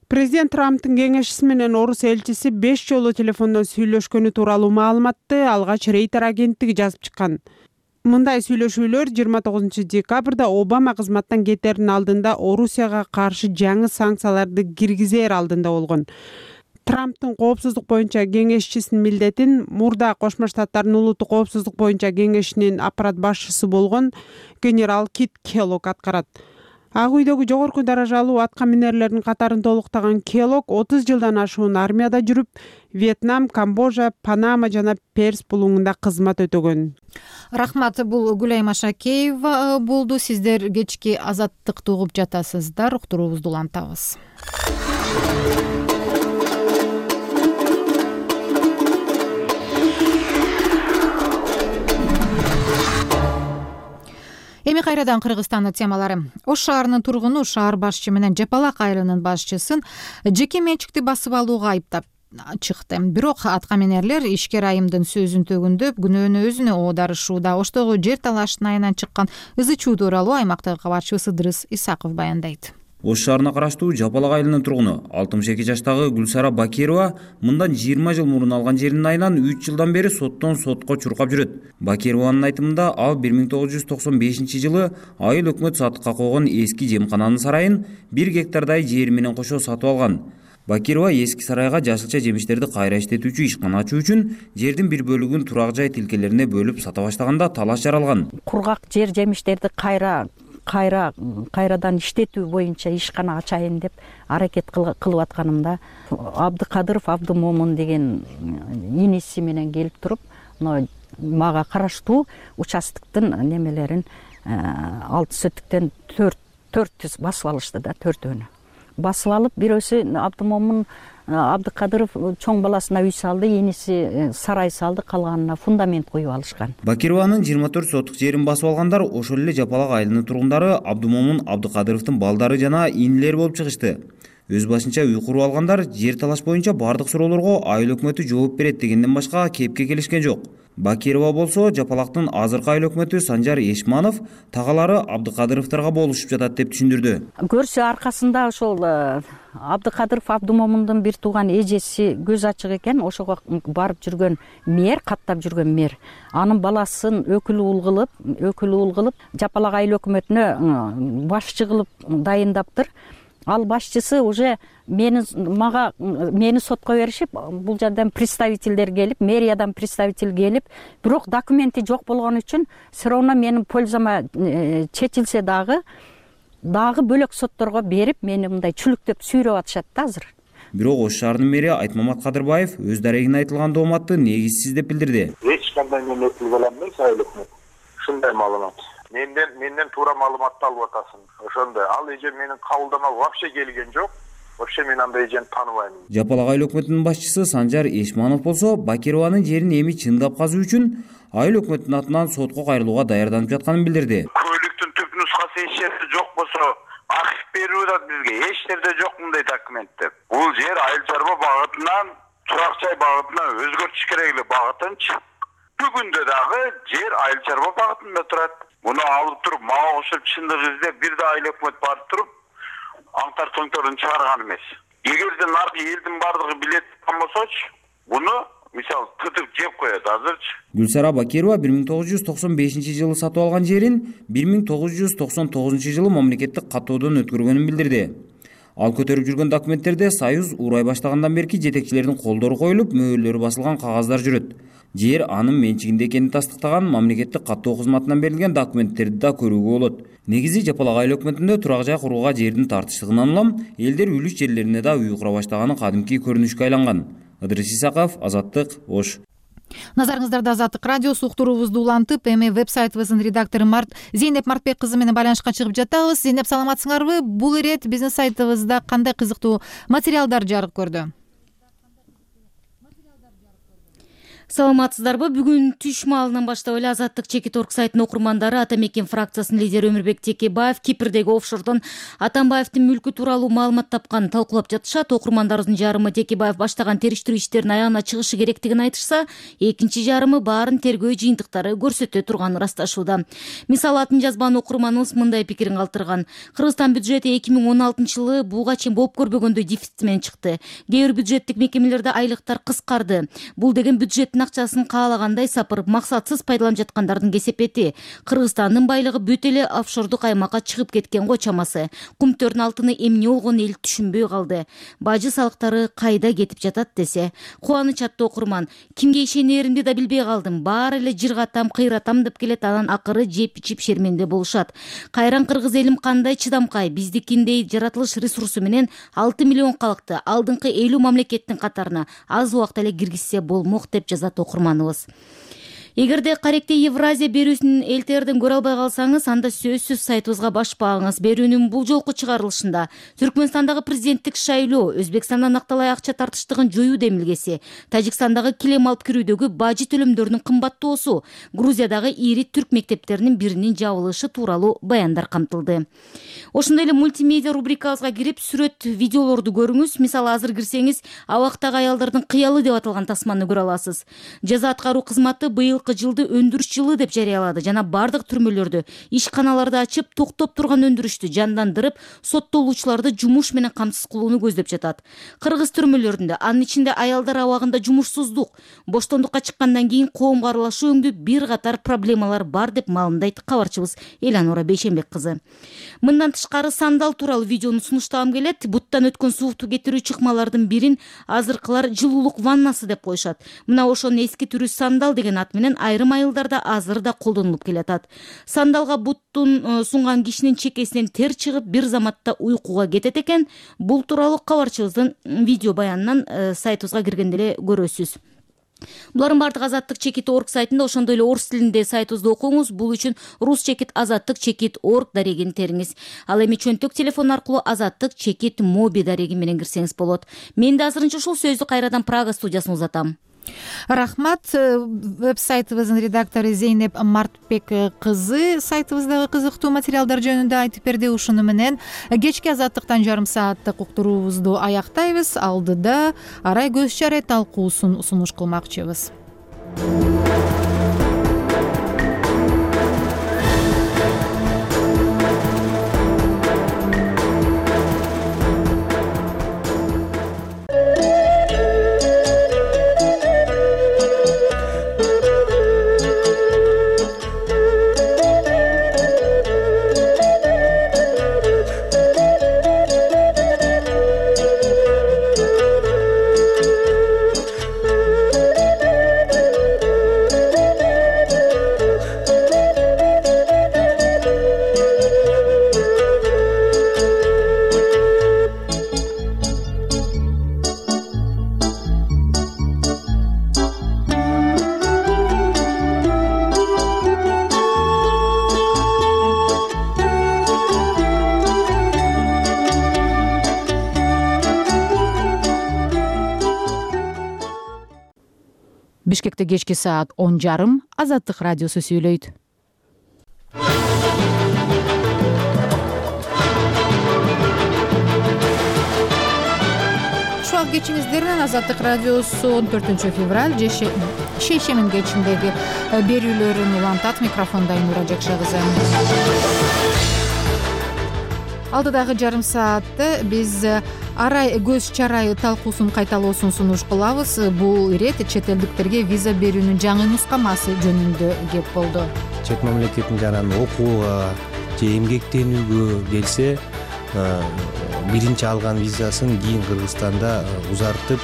Президент Трамптын кеңешчиси менен орус элчиси 5 жолу телефондон сүйлөшкөнү тууралуу маалыматты алгач Рейтер агенттиги жазып чыккан. Мындай сүйлөшүүлөр 29 декабрда Обама кызматтан кетердин алдында Орусияга каршы жаңы санкцияларды киргизер алдында болгон. Трамптын коопсуздук боюнча кеңешчисинин милдетин мурда Кошмо Штаттардын улуттук коопсуздук боюнча кеңешинин аппарат башчысы болгон генерал Кит Келлог аткарат. Ак үйдөгү жогорку даражалуу атка минерлердин катарын толуктаган Келлог 30 жылдан ашуун армияда жүрүп, Вьетнам, Камбожа, Панама жана Перс булуңунда кызмат өтөгөн. Рахмат, бул Гүлайма Шакеева болду. Сиздер кечки Азаттыкты угуп жатасыздар. Уктуруубузду улантабыз. Эми кайрадан Кыргызстандын темалары. Ош шаарынын тургуну шаар башчы менен Жапалак айылынын башчысын жеке менчикти басып алууга айыптап чыкты. Бирок аткаминерлер ишкер айымдын сөзүн төгүндөп, күнөөнү өзүнө оодарышууда. Оштогу жер талаштын айынан чыккан ызы чуу тууралуу аймактагы кабарчыбыз Ыдырыс Исаков баяндайт. Ош шаарына караштуу Жапалак айылынын тургуну 62 жаштагы Гүлсара Бакирова мындан 20 жыл мурун алган жеринин айынан 3 жылдан бери соттон сотко чуркап жүрөт. Бакированын айтымында ал 1995 жылы айыл өкмөт сатыкка койгон эски жемкананын сарайын 1 гектардай жер менен кошо сатып алган. Бакирова эски сарайга жашылча жемиштерди кайра иштетүүчү ишкана ачуу үчүн жердин бир бөлүгүн турак жай тилкелерине бөлүп сата баштаганда талаш жаралган. Кургак жер жемиштерди кайрадан иштетүү боюнча ишкана ачайын деп аракет кылып атканымда Абдыкадыров Абдымомун деген иниси менен келип туруп, мага караштуу участоктун немелерин 6 сөттүктөн 4 басып алышты да, 4-өнү. Басып алып, бирөөсү Абдымомун Абдыкадыров чоң баласына үй салды, иниси сарай салды, калганына фундамент коюп алышкан. Бакированын 24 соттук жерин басып алгандар ошол эле Жапалак айылынын тургундары Абдымомун Абдыкадыровдун балдары жана инилери болуп чыгышты. Өз башынча үй куруп алгандар жер талаш боюнча бардык суроолорго айыл өкмөтү жооп берет дегенден башка кепке келишкен жок. Бакирова болсо Жапалактын азыркы айыл өкмөтү Санжар Эшманов тагалары Абдыкадыровторго болушуп жатат деп түшүндүрдү. Көрсө аркасында ошол Абдыкадыров Абдымомундун бир тууган эжеси көз ачык экен, ошого барып жүргөн мэр, каттап жүргөн мэр, анын баласын өкүл уул кылып Жапалак айыл өкмөтүнө башчы кылып дайындаптыр. Ал башчысы уже мени сотко беришип, бул жерден представительдер келип, мэриядан представитель келип, бирок документи жок болгон үчүн все равно менин пользама чечилсе дагы дагы бөлөк сотторго берип мени мындай чүлүктөп сүйрөп атышат да азыр. Бирок Ош шаарынын мэри Айтмамат Кадырбаев өз дарегине айтылган дооматты негизсиз деп билдирди. Эч кандай мен өкүл болом эмес, айыл өкмөт. Ушундай маалымат. Менден туура маалыматты алып атасың. Ошондой. Ал эже менин кабылдама вообще келген жок. Вообще мен андай эжени тааныбайм. Жапалак айыл өкмөтүнүн башчысы Санжар Эшманов болсо, Бакированын жерин эми чындап казуу үчүн айыл өкмөтүнүн атынан сотко кайрылууга даярданып жатканын билдирди. Көйлүктүн түп нускасы эч жерде жок болсо, архив берип атат бизге. Эч жерде жок мындай документтер. Бул жер айыл чарба багытынан, турак жай багытынан өзгөртүш керек эле багытынчы. Бүгүндө дагы жер айыл чарба багытында турат. Муну алып туруп мага кошуп чындык издеп бир да айыл өкмөт барып туруп аңтар тоңторун чыгарган эмес. Эгерде наркы элдин бардыгы билет болсочу, буну мисалы тытып жеп коет азырчы. Гүлсара Бакирова 1995-жылы сатып алган жерин 1999-жылы мамлекеттик каттоодон өткөргөнүн билдирди. Ал көтөрүп жүргөн документтерде Союз урай баштагандан берки жетекчилердин колдору коюлуп, мөөлөрү басылган кагаздар жүрөт. Жер анын менчигинде экенин тастыктаган мамлекеттик каттоо кызматынан берилген документтерди да көрүүгө болот. Негизи Жапалак айыл өкмөтүндө турак жай курууга жердин тартыштыгынан улам элдер үлүш жерлерине да үй кура баштаганы кадимки көрүнүшкө айланган. Ыдырыс Исаков, Азаттык, Ош. Назарыңыздарда Азаттык радиосу уктуруубузду улантып, эми веб-сайтыбыздын редактору Зейнеп Мартбек кызы менен байланышка чыгып жатабыз. Зейнеп, саламатсыңарбы? Бул ирет биздин сайтыбызда кандай кызыктуу материалдар жарык көрдү? Саламатсыздарбы? Бүгүн түш маалынан баштап эле Азаттык Чекит.орг сайтынын окурмандары Атамекен фракциясынын лидери Өмүрбек Текебаев Кипрдеги офшордон Атамбаевдин мүлкү тууралуу маалымат тапканын талкуулап жатышат. Окурмандарыбыздын жарымы Текебаев баштаган териштирүү иштеринин аягына чыгышы керектигин айтышса, экинчи жарымы баарын тергөө жыйынтыктары көрсөтө турганын ырасташууда. Мисалы, атын жазбан окурманыбыз мындай пикирин калтырган. Кыргызстан бюджети 2016-жылы буга чейин болуп көрбөгөндөй дефицит менен чыкты. Кээ бир бюджеттик мекемелерде айлыктар кыскарды. Бул деген бюджет акчасын каалагандай сапырып максатсыз пайдаланып жаткандардын кесепети. Кыргызстандын байлыгы бүт эле офшордук аймакка чыгып кеткен го чамасы. Кумтөрдүн алтыны эмне болгонун эл түшүнбөй калды. Бажы салыктары кайда кетип жатат десе. Кубаныч аттуу окурман: кимге ишенеримди да билбей калдым. Баары эле жыргатам, кыйратам деп келет, анан акыры жеп ичип шерменде болушат. Кайран кыргыз элим кандай чыдамкай, биздикиндей жаратылыш ресурсу менен 6 миллион калкты алдыңкы 50 мамлекеттин катарына аз убакта эле киргизсе болмок деп жазат окурманыбыз. Эгерде Каректе Евразия берүүсүн элтерден көрө албай калсаңыз, анда сөзсүз сайтыбызга башпагыңыз. Берүүнүн бул жолку чыгарылышында Түркмөнстандагы президенттик шайлоо, Өзбекстандан акталай акча тартыштыгын жоюу демилгеси, Тажикстандагы килем алып кирүүдөгү бажы төлөмдөрүнүн кымбаттоосу, Грузиядагы ири түрк мектептеринин биринин жабылышы тууралуу баяндар камтылды. Ошондой эле мультимедиа рубрикабызга кирип, сүрөт, видеолорду көрүңүз. Мисалы, азыр кирсеңиз, абактагы аялдардын кыялы деп аталган тасманы көрө аласыз. Жаза аткаруу кызматы быйыл жылды өндүрүш жылы деп жарыялады жана бардык түрмөлөрдө, ишканаларды ачып, токтоп турган өндүрүштү жандандырып, соттолуучуларды жумуш менен камсыз кылууну көздөп жатат. Кыргыз түрмөлөрүндө, анын ичинде аялдар абагында жумушсуздук, боштондукка чыккандан кийин коомго аралашуу өңдүү бир катар проблемалар бар деп маалымдайт кабарчыбыз Эланора Бейшенбек кызы. Мындан тышкары сандал тууралуу видеону сунуштагым келет. Буттан өткөн суукту кетирүү чыкмалардын бирин азыркылар жылуулук ваннасы деп коюшат. Мына ошонун эски түрү сандал деген ат менен айрым айылдарда азыр да колдонулуп келатат. Сандалга буттун сунган кишинин чекесинен тер чыгып, бир заматта уйкуга кетет экен. Бул тууралуу кабарчыбыздын видео баянынан сайтыбызга киргенде эле көрөсүз. Булардын бардыгы Азаттык Чекит.орг сайтында, ошондой эле орус тилинде сайтыбызды окуңуз. Бул үчүн Рус Чекит Азаттык Чекит.орг дарегин териңиз. Ал эми чөнтөк телефон аркылуу Азаттык Чекит моби дареги менен кирсеңиз болот. Мен да азырынча ушул сөздү кайрадан Прага студиясына узатам. Рахмат. Веб-сайтыбыздын редактору Зейнеп Мартбек кызы сайтыбыздагы кызыктуу материалдар жөнүндө айтып берди. Ушуну менен кечки Азаттыктан жарым сааттык уктуруубузду аяктайбыз. Алдыда арай көз чарай талкуусун сунуш кылмакчыбыз. Бишкекте кечки саат 10:30 Азаттык радиосу сүйлөйт. Шуак кечиңиздеринен Азаттык радиосу 14 февраль шейшемин кечиндеги берүүлөрүн улантат. Микрофонда Айнура Жакшагызы. Алдыдагы жарым саатты биз арай көз чарайы талкуусун кайталоосун сунуш кылабыз. Бул ирет чет элдиктерге виза берүүнүн жаңы нускамасы жөнүндө кеп болду. Чет мамлекеттин жанагы окууга же эмгектенүүгө келсе, биринчи алган визасын кийин Кыргызстанда узартып,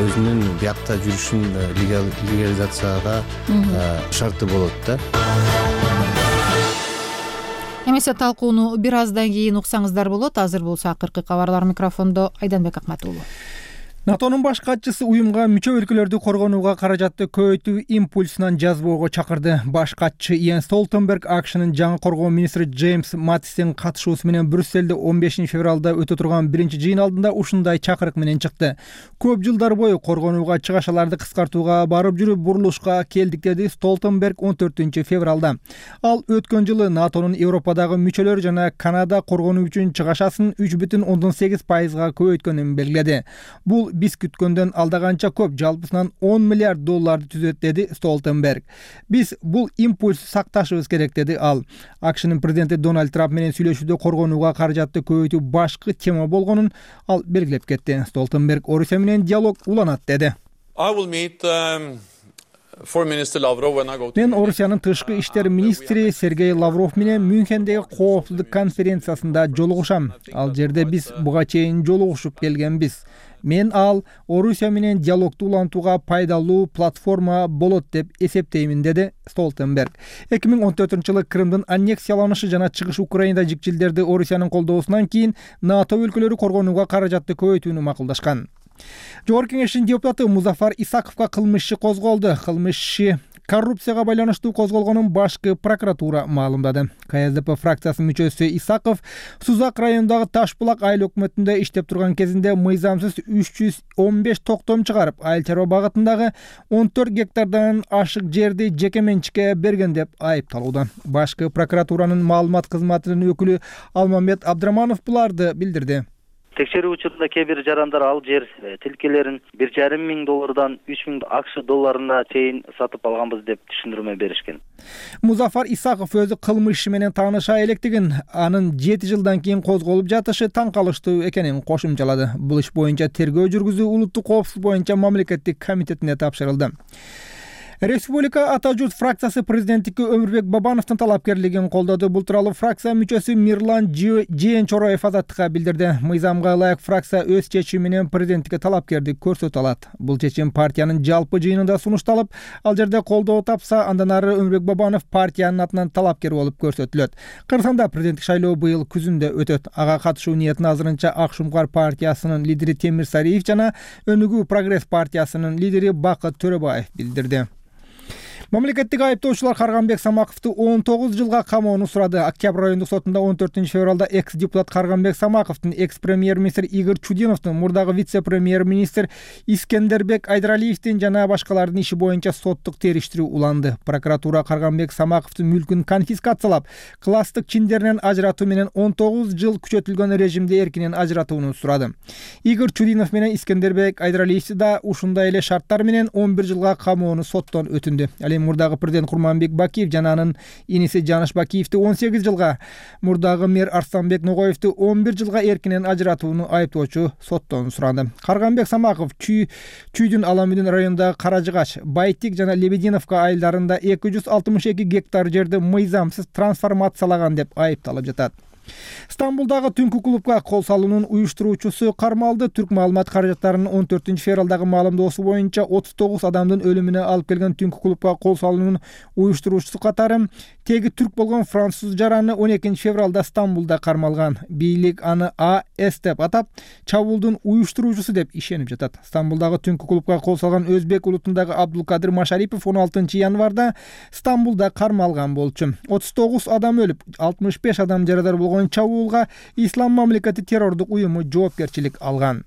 өзүнүн биякта жүрүшүн легализацияга шарты болот да. Эмесе талкууну бир аздан кийин уксаңыздар болот. Азыр болсо акыркы кабарлар. Микрофондо Айданбек Акматуулу. НАТОнун баш катчысы уюмга мүчө өлкөлөрдү коргонууга каражатты көбөйтүү импульсунан жазбоого чакырды. Баш катчы Йенс Столтенберг АКШнын жаңы коргоо министри Джеймс Маттистин катышуусу менен Брюсселде 15 февралда өтө турган биринчи жыйын алдында ушундай чакырык менен чыкты. Көп жылдар бою коргонууга чыгашаларды кыскартууга барып жүрүп бурулушка келдик, деди Столтенберг 14 февралда. Ал өткөн жылы НАТОнун Европадагы мүчөлөр жана Канада коргонуу үчүн чыгашасын 3,8%га көбөйткөнүн белгиледи. Бул биз күткөндөн алдаганча көп, жалпысынан 10 миллиард долларды түзөт, деди Столтенберг. Биз бул импульс сакташыбыз керек, деди ал. АКШнын президенти Дональд Трамп менен сүйлөшүүдө коргонууга каражатты көбөйтүү башкы тема болгонун ал белгилеп кетти. Столтенберг Орусия менен диалог уланат, деди. Мен Орусиянын тышкы иштер министри Сергей Лавров менен Мюнхендеги коопсуздук конференциясында жолугушам. Ал жерде биз буга чейин жолугушуп келгенбиз. Мен ал Орусия менен диалогду улантууга пайдалуу платформа болот деп эсептеймин, деди Столтенберг. 2014-жылы Крымдын аннексияланышы жана чыгыш Украинада жикчилдерди Орусиянын колдоосунан кийин НАТО өлкөлөрү коргонууга каражатты көбөйтүүнү макулдашкан. Жогорку кеңештин депутаты Музафар Исаковго кылмыш иши козголду. Кылмыш иши коррупцияга байланыштуу козголгонун башкы прокуратура маалымдады. КСДП фракциясынын мүчөсү Исаков Сузак районундагы Ташбулак айыл өкмөтүндө иштеп турган кезинде мыйзамсыз 315 токтом чыгарып, айыл чарба багытындагы 14 гектардан ашык жерди жеке менчикке берген деп айыпталууда. Башкы прокуратуранын маалымат кызматынын өкүлү Алмамбет Абдраманов буларды билдирди. Текшерүү учурунда кээ бир жарандар ал жер тилкелерин $1,500 $3,000 AQSh чейин сатып алганбыз деп түшүндүрмө беришкен. Музафар Исаков өзү кылмыш иши менен тааныша электигин, анын 7 жылдан кийин козголуп жатышы таң калыштуу экенин кошумчалады. Бул иш боюнча тергөө жүргүзүү улуттук коопсуздук боюнча мамлекеттик комитетине тапшырылды. Республика Ата журт фракциясы президенттикке Өмүрбек Бабановдун талапкерлигин колдоду. Бул тууралуу фракция мүчөсү Мирлан Жээнчороев Азаттыкка билдирди. Мыйзамга ылайык фракция өз чечими менен президенттикке талапкердик көрсөтө алат. Бул чечим партиянын жалпы жыйынында сунушталып, ал жерде колдоо тапса, андан ары Өмүрбек Бабанов партиянын атынан талапкер болуп көрсөтүлөт. Кыргызстанда президенттик шайлоо быйыл күзүндө өтөт. Ага катышуу ниетин азырынча Ак Шумкар партиясынын лидери Темир Сариев жана Өнүгүү Прогресс партиясынын лидери Бакыт Төрөбаев билдирди. Мамлекеттик айыптоочулар Карганбек Самаковду 19 жылга камоону сурады. Октябрь райондук сотунда 14 февралда экс-депутат Карганбек Самаковдун, экс-премьер-министр Игорь Чудиновдун, мурдагы вице-премьер-министр Искендербек Айдралиевдин жана башкалардын иши боюнча соттук териштирүү уланды. Прокуратура Карганбек Самаковдун мүлкүн конфискациялап, класстык чиндеринен ажыратуу менен 19 жыл күчөтүлгөн режимде эркинен ажыратууну сурады. Игорь Чудинов менен Искендербек Айдралиевди да ушундай эле шарттар менен 11 жылга камоону соттон өтүндү. Мурдагы президент Курманбек Бакиев жана анын иниси Жаныш Бакиевди 18 жылга, мурдагы мэр Арсланбек Ногоевди 11 жылга эркинен ажыратууну айыптоочу соттон сурады. Карганбек Самаков Чүйдүн Аламүдүн районундагы Каражыгач, Байтик жана Лебединовка айылдарында 262 гектар жерди мыйзамсыз трансформациялаган деп айыпталып жатат. Стамбулдагы түнкү клубга кол салуунун уюштуруучусу кармалды. Түрк маалымат каражаттарынын 14 февралдагы маалымдоосу боюнча 39 адамдын өлүмүнө алып келген түнкү клубга кол салуунун уюштуруучусу катары теги түрк болгон француз жараны 12 февралда Стамбулда кармалган. Бийлик аны АС деп атап, чабуулдун уюштуруучусу деп ишенип жатат. Стамбулдагы түнкү клубга кол салган өзбек улутундагы Абдулкадыр Машарипов 16 январда Стамбулда кармалган болчу. 39 адам өлүп, 65 адам жарадар болгон чабуулга Ислам мамлекети террордук уюму жоопкерчилик алган.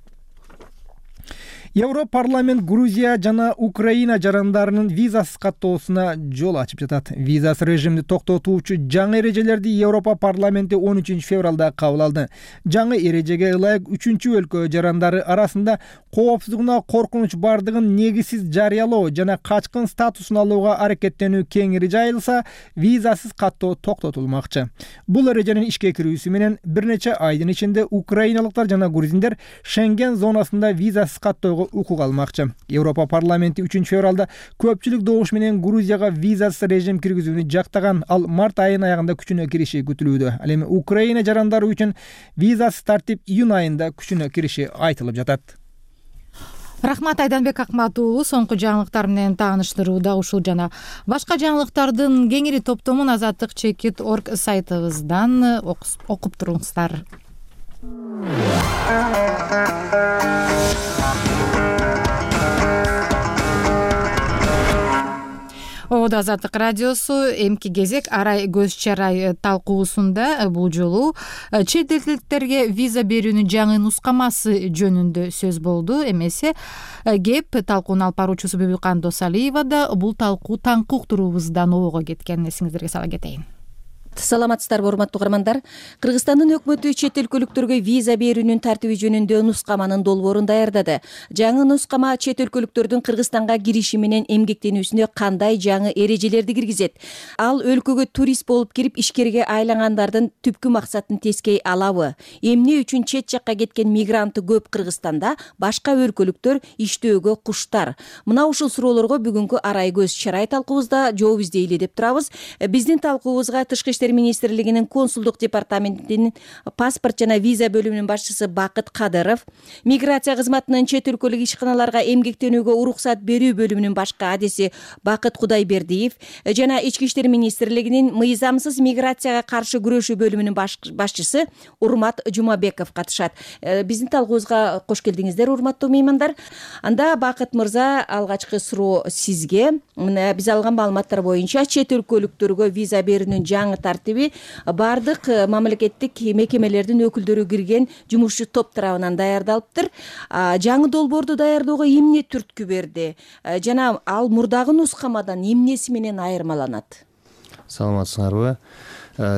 Европарламент Грузия жана Украина жарандарынын визасыз каттоосуна жол ачып жатат. Визасыз режимди токтотуучу жаңы эрежелерди Европа парламенти 13 февралда кабыл алды. Жаңы эрежеге ылайык 3 өлкө жарандары арасында коопсуздугуна коркунуч бардыгын негизсиз жарыялоо жана качкын статусун алууга аракеттенүү кеңири жайылса, визасыз каттоо токтотулмакчы. Бул эреженин ишке кирүүсү менен бир нече айдын ичинде украиналыктар жана грузиндер Шенген зонасында визасыз каттоого укук алмакчы. Европа парламенти 3 февралда көпчүлүк добуш менен Грузияга визасыз режим киргизүүнү жактаган, ал март айынын аягында күчүнө кириши күтүлүүдө. Ал эми Украина жарандары үчүн визасыз тартип июнь айында күчүнө кириши айтылып жатат. Рахмат Айданбек Акматуулу соңку жаңылыктар менен тааныштырууда ушул жана башка жаңылыктардын кеңири топтомун azatlyk.org сайтыбыздан окуп туруңуздар. Ободо Азаттык радиосу эмки кезек арай көз чарай талкуусунда бул жолу чет элдиктерге виза берүүнүн жаңы нускамасы жөнүндө сөз болду. Эмесе кеп талкуунун алып баруучусу Бүбүкан Досалиева да бул талкуу таңкы уктуруубуздан обого кеткен. Эсиңиздерге сала кетейин. Саламатсыздарбы, урматтуу угармандар. Кыргызстандын өкмөтү чет өлкөлүктөргө виза берүүнүн тартиби жөнүндө нускаманын долбоорун даярдады. Жаңы нускама чет өлкөлүктөрдүн Кыргызстанга кириши менен эмгектенүүсүнө кандай жаңы эрежелерди киргизет? Ал өлкөгө турист болуп кирип ишкерге айлангандардын түпкү максатын тескей алабы? Эмне үчүн чет жакка кеткен мигранты көп Кыргызстанда, башка өлкөлүктөр иштөөгө куштар? Мына ушул суроолорго бүгүнкү арай көз чарай талкуубузда жооп издейли деп турабыз. Биздин талкуубузга Тышкы иштер министрлигинин консулдук департаментинин паспорт жана виза бөлүмүнүн башчысы Бакыт Кадыров, миграция кызматынын чет өлкөлүк ишканаларга эмгектенүүгө уруксат берүү бөлүмүнүн башкы адиси Бакыт Кудайбердиев жана Ички иштер министрлигинин мыйзамсыз миграцияга каршы күрөшүү бөлүмүнүн башчысы Урмат Жумабеков катышат. Биздин талкуубузга кош келдиңиздер, урматтуу меймандар. Анда Бакыт мырза, алгачкы суроо сизге. Биз алган маалыматтар боюнча чет өлкөлүктөргө виза берүүнүн жаңы тартиби бардык мамлекеттик мекемелердин өкүлдөрү кирген жумушчу топ тарабынан даярдалыптыр. Жаңы долбоорду даярдоого эмне түрткү берди жана ал мурдагы нускамадан эмнеси менен айырмаланат? Саламатсыңарбы?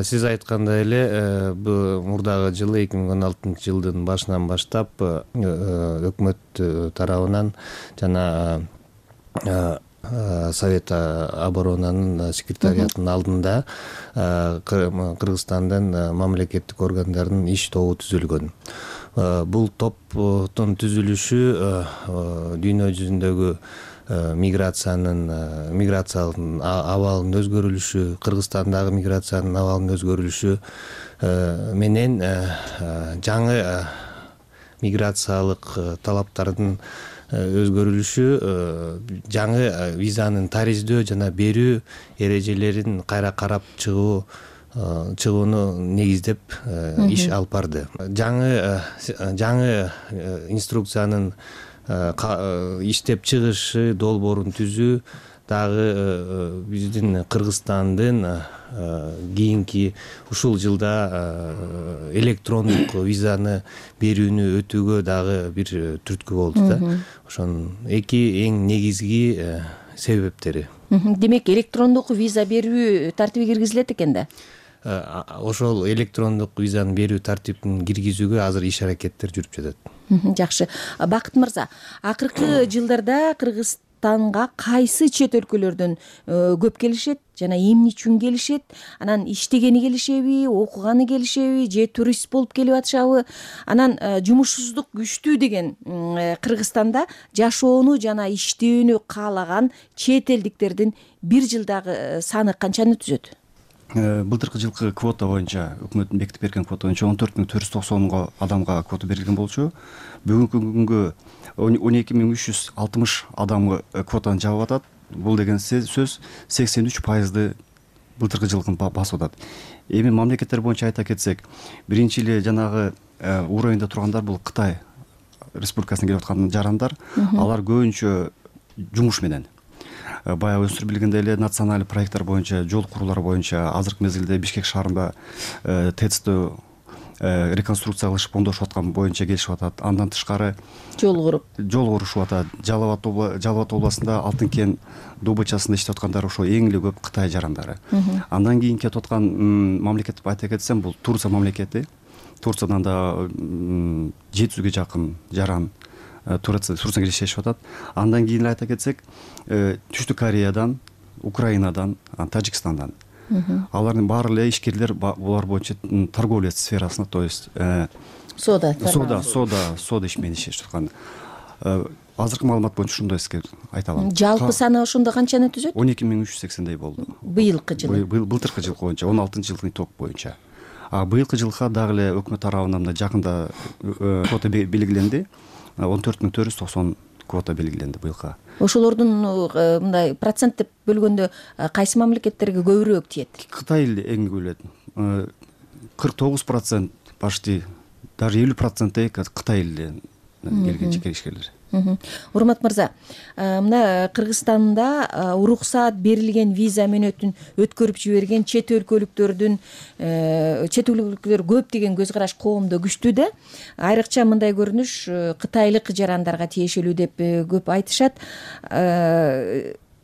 Сиз айткандай эле, бул мурдагы жылы 2016 жылдын башынан баштап өкмөт тарабынан жана Совет оборонанын секретариятынын алдында Кыргызстандын мамлекеттик органдарынын иш тобу түзүлгөн. Бул топтун түзүлүшү дүйнө жүзүндөгү миграциялык абалынын өзгөрүлүшү, Кыргызстандагы миграциянын абалынын өзгөрүлүшү менен жаңы миграциялык талаптардын өзгөрүлүшү, жаңы визанын тариздөө жана берүү эрежелерин кайра карап чыгууну негиздеп иш алып барды. Жаңы инструкциянын иштеп чыгышы, долбоорун түзүү дагы биздин Кыргызстандын кийинки ушул жылда электрондук визаны берүүнү өтүүгө дагы бир түрткү болду да. Ошонун эки эң негизги себептери. Демек, электрондук виза берүү тартиби киргизилет экен да? Ошол электрондук визаны берүү тартибин киргизүүгө азыр иш аракеттер жүрүп жатат. Жакшы. Бакыт мырза, акыркы жылдарда Кыргызстанга кайсы чет өлкөлөрдөн көп келишет жана эмне үчүн келишет? Анан иштегени келишеби, окуганы келишеби, же турист болуп келип атышабы? Анан жумушсуздук күчтүү деген Кыргызстанда жашоону жана иштөөнү каалаган чет элдиктердин бир жылдагы саны канчаны түзөт? Былтыркы жылкы квота боюнча, өкмөттүн бекитип берген квота боюнча 14.490 адамга квота берилген болчу. Бүгүнкү күнгө 12.360 адамга квотаны жабып атат. Бул деген сөз 83% былтыркы жылкын басып атат. Эми мамлекеттер боюнча айта кетсек, биринчи эле жанагы уровеньде тургандар бул Кытай Республикасынан келип аткан жарандар, алар көбүнчө жумуш менен. Баягы өстүрүп билгендей эле националдык проекттер боюнча, жол куруулар боюнча азыркы мезгилде Бишкек шаарында ТЭЦтө реконструкция кылышып оңдошуп аткан боюнча келишип атат. Андан тышкары жол курушуп атат. Жалал абад областында Алтын кен добычасында иштеп аткандар ошо эң эле көп Кытай жарандары. Андан кийин кетип аткан мамлекет деп айта кетсем, бул Турция мамлекети. Турциядан да 700-гө жакын жаран Турцияга иштешип атат. Андан кийин айта кетсек, Түштүк Кореядан, Украинадан, Тажикстандан. Алардын баары эле ишкерлер булар боюнча торговля сферасында, то есть сода иш менен иштешип аткан. Азыркы маалымат боюнча ушундай сизге айта алам. Жалпы саны ошондо канчаны түзөт? 12380 болду. Быйылкы жылы. Былтыркы жыл боюнча, 16-жылдын итог боюнча. Быйылкы жылга дагы эле өкмөт тарабынан мына жакында квота белгиленди. 14490 квота белгиленди быйылка. Ошолордун мындай процент деп бөлгөндө кайсы мамлекеттерге көбүрөөк тиет? Кытай эле эң көп келет. 49% почти, даже 50% Кытай эле келген жеке ишкерлер. Урмат мырза, мына Кыргызстанда уруксаат берилген виза мөөнөтүн өткөрүп жиберген чет өлкөлүктөр көп деген көз караш коомдо күчтүү да. Айрыкча мындай көрүнүш кытайлык жарандарга тиешелүү деп көп айтышат.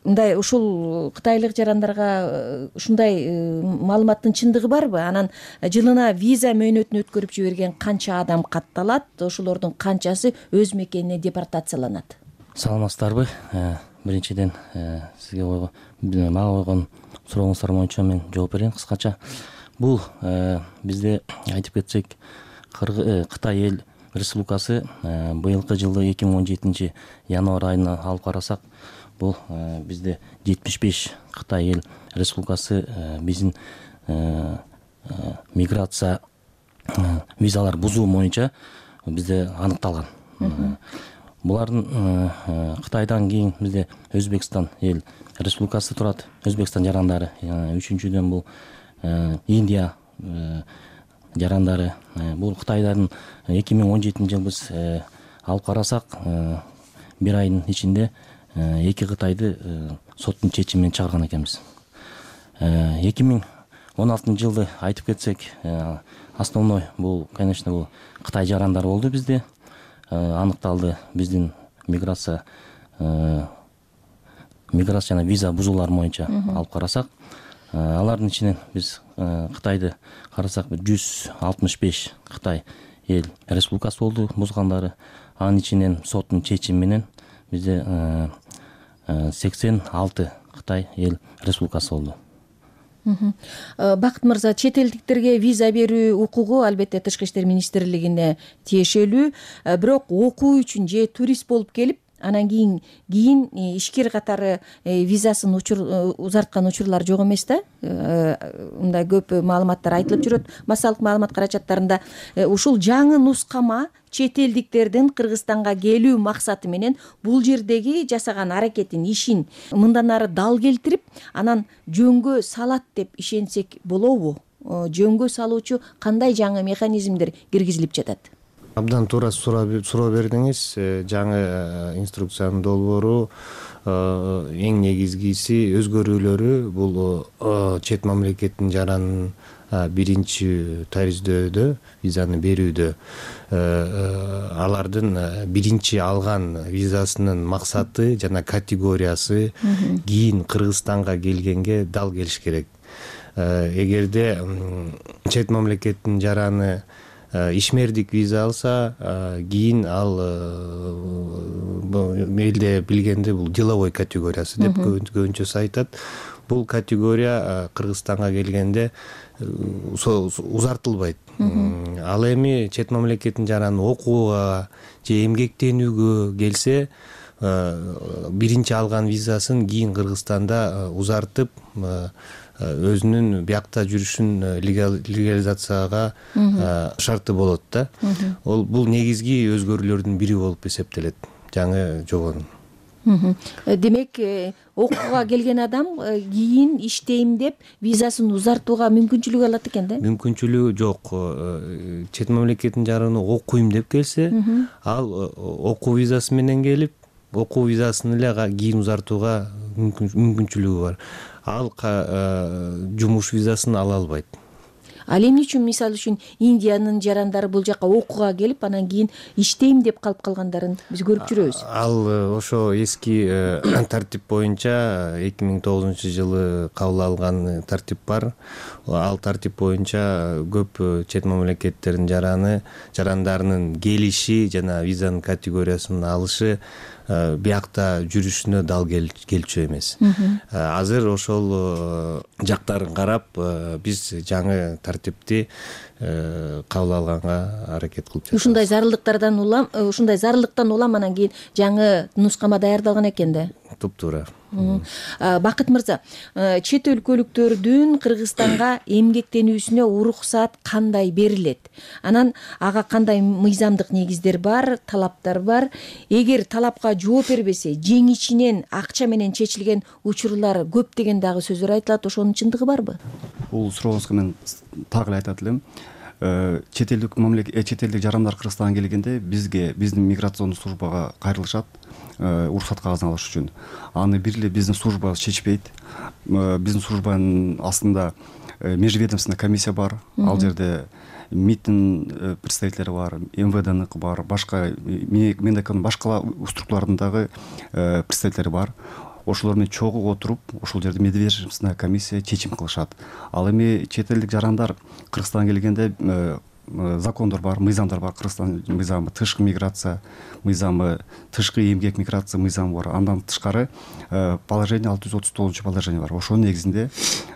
Мындай ушул кытайлык жарандарга ушундай маалыматтын чындыгы барбы? Анан жылына виза мөөнөтүн өткөрүп жиберген канча адам катталат? Ошолордун канчасы өз мекенине депортацияланат? Саламатсыздарбы? Биринчиден сизге мага койгон сурооңуздар боюнча мен жооп берейин кыскача. Бул бизде айтып кетсек, Кытай эл республикасы быйылкы жылы 2017 январь айына алып карасак, бул бизде 75 Кытай эл республикасы биздин миграция визалар бузуу боюнча бизде аныкталган. Булардын Кытайдан кийин бизде Өзбекстан эл республикасы турат. Өзбекстан жарандары. Үчүнчүдөн бул Индия жарандары. Бул Кытайдардын 2017 жыл биз алып карасак, бир айдын ичинде 2 Кытайды соттун чечими менен чыгарган экенбиз. 2016 жылды айтып кетсек, основной бул, конечно, бул Кытай жарандары болду бизде. Аныкталды биздин миграция жана виза бузуулар боюнча алып карасак, алардын ичинен биз Кытайды карасак 165 Кытай эл республикасы болду бузгандары. Анын ичинен соттун чечими менен бизде 86 Кытай эл республикасы болду. Бакыт мырза, чет элдиктерге виза берүү укугу албетте Тышкы иштер министрлигине тиешелүү, бирок окуу үчүн же турист болуп келип, анан кийин ишкер катары визасын узарткан учурлар жок эмес да. Мындай көп маалыматтар айтылып жүрөт. Массалык маалымат карачаттарында ушул жаңы нускама чет элдиктердин Кыргызстанга келүү максаты менен бул жердеги жасаган аракетин, ишин мындан ары дал келтирип, анан жөнгө салат деп ишенсек болобу? Жөнгө салуучу кандай жаңы механизмдер киргизилип жатат? Абдан туура суроо бердиңиз. Жаңы инструкциянын долбоору эң негизгиси өзгөрүүлөрү бул чет мамлекеттин жаранын биринчи тариздөдө, визаны берүүдө алардын биринчи алган визасынын максаты жана категориясы кийин Кыргызстанга келгенге дал келиш керек. Эгерде чет мамлекеттин жараны ишмердик виза алса, кийин ал элде билгенде бул деловой категориясы деп көбүнчөсү айтат. Бул категория Кыргызстанга келгенде узартылбайт. Ал эми чет мамлекеттин жараны окууга же эмгектенүүгө келсе, биринчи алган визасын кийин Кыргызстанда узартып, өзүнүн биякта жүрүшүн легализацияга шарты болот да. Бул негизги өзгөрүүлөрдүн бири болуп эсептелет жаңы жобонун. Демек, окууга келген адам кийин иштейм деп визасын узартууга мүмкүнчүлүк алат экен да? Мүмкүнчүлүгү жок. Чет мамлекеттин жараны окуйм деп келсе, ал окуу визасы менен келип, окуу визасын эле кийин узартууга мүмкүнчүлүгү бар. Ал жумуш визасын ала албайт. ал эмне үчүн мисалы үчүн Индиянын жарандары бул жака окууга келип анан кийин иштейм деп калып калгандарын биз көрүп жүрөбүз. Ал ошо эски тартип боюнча 2009 жылы кабыл алган тартип бар. Ал тартип боюнча көп чет мамлекеттердин жарандарынын келиши жана визанын категориясын алышы биякта жүрүшүнө дал келчү эмес. Азыр ошол жактарын карап биз жаңы тартипти кабыл алганга аракет кылып жатабыз. Ушундай зарылдыктан улам анан кийин жаңы нускама даярдалган экен да. Туптуура. Бакыт мырза, чет өлкөлүктөрдүн Кыргызстанга эмгектенүүсүнө уруксаат кандай берилет? Анан ага кандай мыйзамдык негиздер бар, талаптар бар? Эгер талапка жооп бербесе, жеңичинен акча менен чечилген учурлар көп деген дагы сөздөр айтылат. Ошонун чындыгы барбы? Бул сурооңузга мен так эле айтат элем. Чет элдик жарандар Кыргызстанга келгенде биздин миграционный службага кайрылышат. Уруксат кагазын алыш үчүн. Аны бир эле биздин служба чечпейт. Биздин службанын астында межведомственный комиссия бар. Ал жерде МИДтин представителери бар, МВДныкы бар, башка мендеканын башка структуралардын дагы представителери бар. Ошолор менен чогуу отуруп, ошол жерде межведомственный комиссия чечим кылышат. Ал эми чет элдик жарандар Кыргызстанга келгенде закондор бар, мыйзамдар бар. Кыргызстан мыйзамы, тышкы миграция мыйзамы, тышкы эмгек миграция мыйзамы бар. Андан тышкары положение 639 положение бар. Ошонун негизинде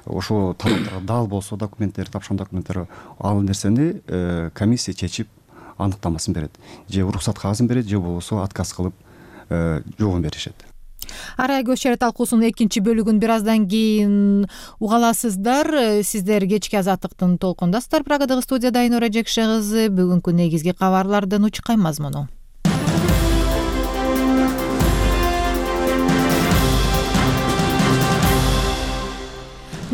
ошо талаптарга дал болсо документтер, тапшырган документтер, ал нерсени комиссия чечип аныктамасын берет. Же уруксат кагазын берет, же болбосо отказ кылып жообун беришет. Арай көз чара талкуусунун экинчи бөлүгүн бир аздан кийин уга аласыздар. Сиздер кечки азаттыктын толкундасыздар. Прагадагы студияда Айнура Жекше кызы. Бүгүнкү негизги кабарлардын учкай мазмуну.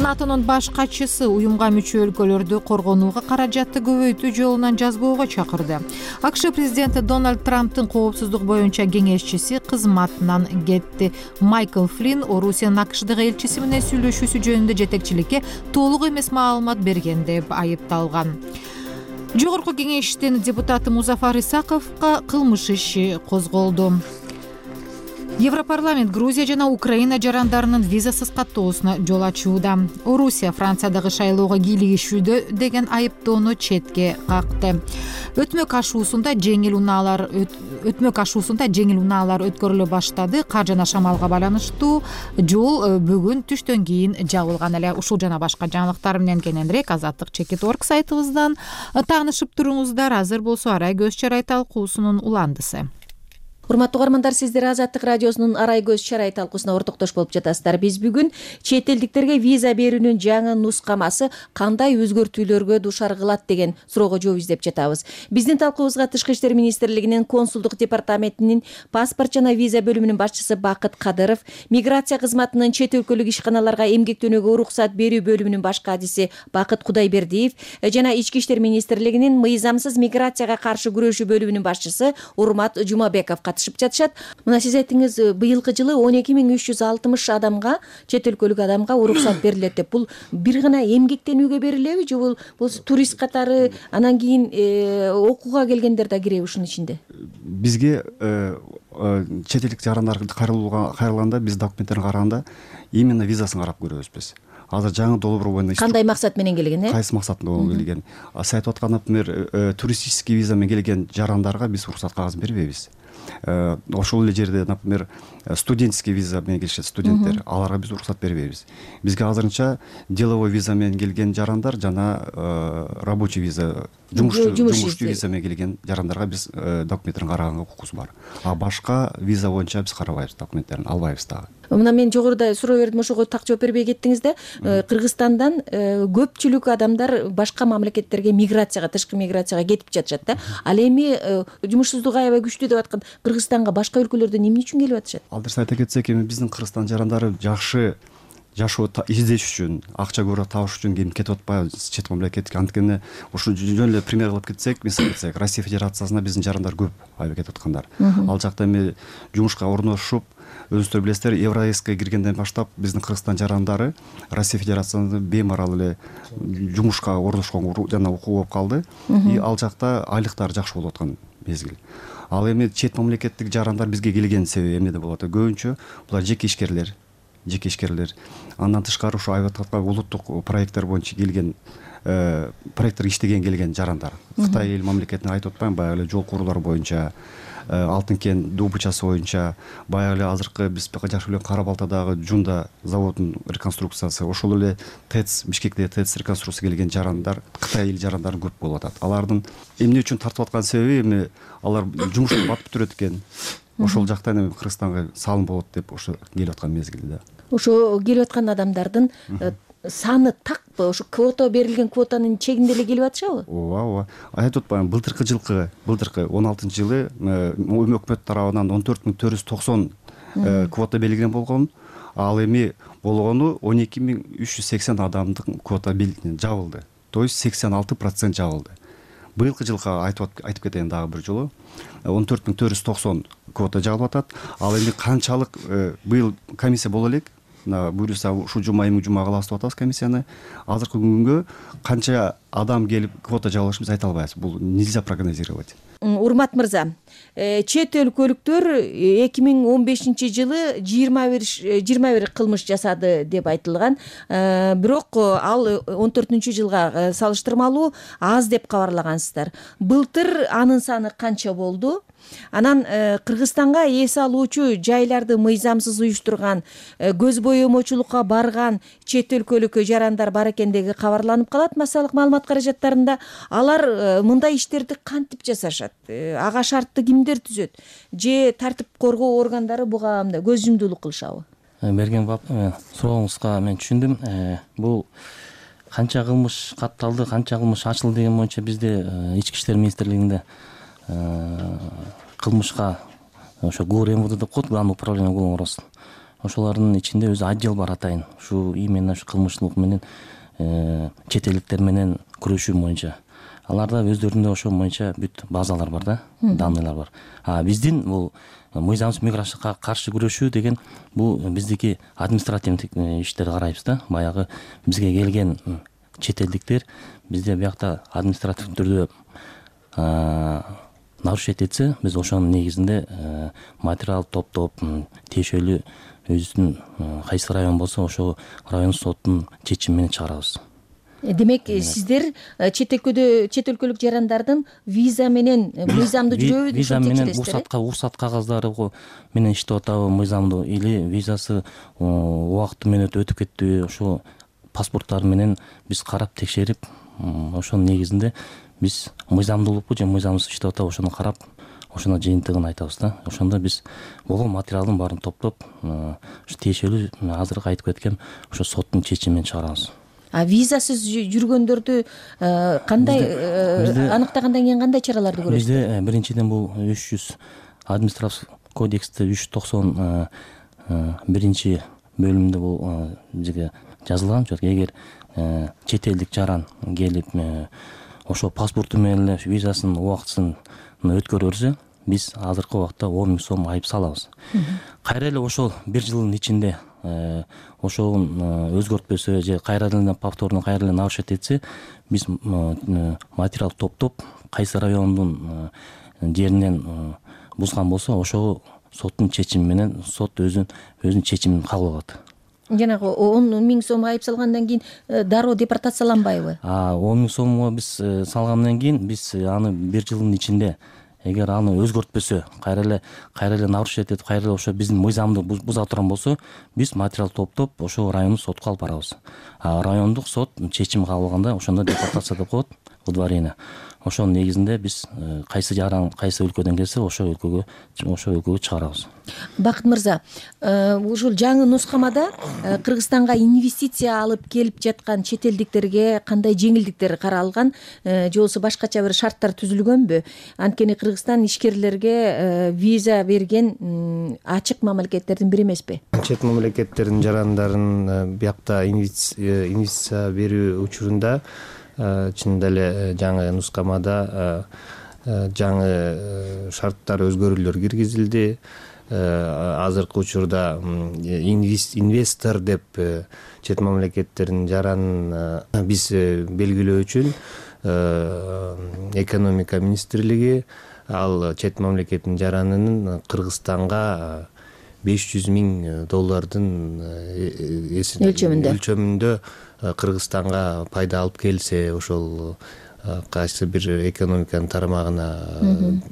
НАТОнун баш катчысы уюмга мүчө өлкөлөрдү коргонууга каражатты көбөйтүү жолунан жазбоого чакырды. АКШ президенти Дональд Трамптын коопсуздук боюнча кеңешчиси кызматынан кетти. Майкл Флинн Орусиянын АКШдагы элчиси менен сүйлөшүүсү жөнүндө жетекчиликке толук эмес маалымат берген деп айыпталган. Жогорку кеңештин депутаты Музафар Исаковго кылмыш иши козголду. Европарламент Грузия жана Украина жарандарынын визасыз каттоосуна жол ачууда. Орусия Франциядагы шайлоого кийлигишүүдө деген айыптоону четке какты. Өтмөк ашуусунда жеңил унаалар өткөрүлө баштады. Кар жана шамалга байланыштуу жол бүгүн түштөн кийин жабылган эле. Ушул жана башка жаңылыктар менен кененирээк Азаттык.org сайтыбыздан таанышып туруңуздар. Азыр болсо Арай көз чарай талкуусунун уландысы. Урматтуу угармандар, сиздер Азаттык радиосунун Арай көз чарай талкуусуна ортоктош болуп жатасыздар. Биз бүгүн чет элдиктерге виза берүүнүн жаңы нускамасы кандай өзгөртүүлөргө дуушар кылат деген суроого жооп издеп жатабыз. Биздин талкуубузга Тышкы иштер министрлигинин консулдук департаментинин паспорт жана виза бөлүмүнүн башчысы Бакыт Кадыров, миграция кызматынын чет өлкөлүк ишканаларга эмгектенүүгө уруксат берүү бөлүмүнүн баш кадиси Бакыт Кудайбердиев жана Ички иштер министрлигинин мыйзамсыз миграцияга каршы күрөшүү бөлүмүнүн башчысы Урмат Жумабеков жатышат. Мына сиз айттыңыз, быйылкы жылы 12360 адамга, чет өлкөлүк адамга уруксат берилет деп. Бул бир гана эмгектенүүгө берилеби же бул турист катары анан кийин окууга келгендер да киреби ушунун ичинде? Бизге чет элдик жарандар кайрылганда биз документтерин караганда именно визасын карап көрөбүз биз. Азыр жаңы долбоор боюнча кандай максат менен келген, Кайсы максатында келген? Сиз айтып аткан, например, туристический виза менен келген жарандарга биз уруксат кагазын бербейбиз. Ошол эле жерде, например, студенческий виза менен келишет студенттер, аларга биз уруксат бербейбиз. Бизге азырынча деловой виза менен келген жарандар жана рабочий виза, жумушчу виза менен келген жарандарга биз документтерин караганга укугубуз бар. А башка виза боюнча биз карабайбыз, документтерин албайбыз дагы. Мына мен жогоруда суроо бердим, ошого так жооп бербей кеттиңиз да. Кыргызстандан көпчүлүк адамдар башка мамлекеттерге миграцияга, тышкы миграцияга кетип жатышат да. Ал эми жумушсуздук аябай күчтүү деп аткан Кыргызстанга башка өлкөлөрдөн эмне үчүн келип атышат? Ал дұрыс айта кетсек, эми биздин Кыргызстан жарандары жакшы жашоо издеш үчүн, акча көбүрөөк табыш үчүн ким кетип атпайбы чет мамлекетке. Анткени ушу жөн эле пример кылып кетсек, мисал кетсек, Россия Федерациясына биздин жарандар көп айып кетип аткандар. Ал жакта эми жумушка орношуп, өзүңүздөр билесиздер, Евразияга киргенден баштап биздин Кыргызстан жарандары Россия Федерациясында беймарал эле жумушка орношкон жана окуу болуп калды. И ал жакта айлыктары жакшы болуп аткан мезгил. Ал эми чет мамлекеттик жарандар бизге келген себеби эмнеде болот? Көбүнчө булар жеке ишкерлер. Андан тышкары ушу айып аткан улуттук проекттер боюнча келген, проекттер иштеген келген жарандар. Кытай эл мамлекетине айтып атпайм, баягы эле жол курулар боюнча, Алтын кен добычасы боюнча, баягы эле азыркы биз жакшы билген Кара Балтадагы Жунда заводунун реконструкциясы, ошол эле ТЭЦ, Бишкекте ТЭЦ реконструкция келген жарандар, Кытай эл жарандары көп болуп атат. Алардын эмне үчүн тартып аткан себеби эми алар жумушта батып жүрөт экен. Ошол жактан эми Кыргызстанга салым болот деп ошо келип аткан мезгилде. Ошо келип аткан адамдардын саны такпы? Ошо квота берилген квотанын чегинде эле келип атышабы? Ооба. Айтып атпаймынбы, былтыркы 16-жылы өкмөт тарабынан 14.490 квота белгилен болгон. Ал эми болгону 12.380 адамдык квота жабылды. То есть 86% жабылды. Быйылкы жылга айтып кетейин дагы бир жолу. 14.490 квота жабылып атат. Ал эми канчалык быйыл комиссия боло элек, буюрса ушу жума кылабыз деп атабыз комиссияны. Азыркы күнгө канча адам келип квота жабылышын биз айта албайбыз. Бул нельзя прогнозировать. Урмат мырза, чет өлкөлүктөр 2015-жылы 21 кылмыш жасады деп айтылган. Бирок ал 14-жылга салыштырмалуу аз деп кабарлагансыздар. Былтыр анын саны канча болду? Анан Кыргызстанга эс алуучу жайларды мыйзамсыз уюштурган, көз боемочулукка барган чет өлкөлүк жарандар бар экендиги кабарланып калат массалык маалымат каражаттарында. Алар мындай иштерди кантип жасашат? Ага шартты кимдер түзөт? Же тартип коргоо органдары буга көз жумдуулук кылышабы? Берген сурооңузга мен түшүндүм. Бул канча кылмыш катталды, канча кылмыш ачылды деген боюнча бизде Ички иштер министрлигинде кылмышка ошо ГУР МВД деп коет, Главное управление уголовного розыска. Ошолордун ичинде өзү отдел бар атайын. Ушу именно ушу кылмыштуулук менен чет элдиктер менен күрөшүү боюнча. Аларда өздөрүндө ошол боюнча бүт базалар бар да, данныйлар бар. Биздин бул мыйзамсыз миграцияга каршы күрөшүү деген бул биздики административдик иштерди карайбыз да. Баягы бизге келген чет элдиктер бизде биякта административдик түрдө нарушить этсе, биз ошонун негизинде материал топтоп, тиешелүү өзүнүн кайсы район болсо ошол район соттун чечими менен чыгарабыз. Демек, сиздер чет өлкөлүк жарандардын виза менен мыйзамдуу жүрөбү деп текшересиздер? Уруксат кагаздары менен иштеп атабы мыйзамдуу, или визасы убакыты менен өтүп кеттиби, ошо паспорттары менен биз карап текшерип, ошонун негизинде биз мыйзамдуулукпу же мыйзамсыз иштеп атабы ошону карап, ошону жыйынтыгын айтабыз да. Ошондо биз болгон материалдын баарын топтоп, ушу тиешелүү азыркы айтып кеткен ошо соттун чечими менен чыгарабыз. Визасыз жүргөндөрдү кандай аныктагандан кийин кандай чараларды көрөсүздөр? Бизде биринчиден бул 300 административдик кодексте 391 бөлүмдө бул жазылган. Эгер чет элдик жаран келип ошо паспорту менен эле визасынын убактысын өткөрө берсе, биз азыркы убакта 10 000 сом айып салабыз. Кайра эле ошол 1 жылдын ичинде ошол өзгөртпөсө же кайра эле повторно кайра эле нарушить этсе, биз материал топтоп, кайсы райондун жеринен бузган болсо, ошол соттун чечими менен сот өзүнүн чечимин кабыл алат. Жанагы 10 000 сом айып салгандан кийин дароо депортацияланбайбы? 10 000 сомго биз салгандан кийин биз аны 1 жылдын ичинде, эгер аны өзгөртпөсө, кайра эле нарушить этип, кайра эле ошо биздин мыйзамды буза турган болсо, биз материал топтоп, ошол райондук сотко алып барабыз. Райондук сот чечим кабыл алганда, ошондо депортация деп коет, выдворение. Ошонун негизинде биз кайсы жаран, кайсы өлкөдөн келсе, ошол өлкөгө чыгарабыз. Бакыт мырза, ушул жаңы нускамада Кыргызстанга инвестиция алып келип жаткан чет элдиктерге кандай жеңилдиктер каралган, же болбосо башкача бир шарттар түзүлгөнбү? Анткени Кыргызстан ишкерлерге виза берген ачык мамлекеттердин бири эмеспи? чет мамлекеттердин жарандарын биякта инвестиция берүү учурунда чынында эле жаңы нускамада жаңы шарттар өзгөрүүлөр киргизилди. Азыркы учурда инвестор деп чет мамлекеттердин жаранын биз белгилөө үчүн экономика министрлиги ал чет мамлекеттин жаранынын Кыргызстанга $500,000 өлчөмүндө Кыргызстанга пайда алып келсе, ошол кайсы бир экономиканын тарамагына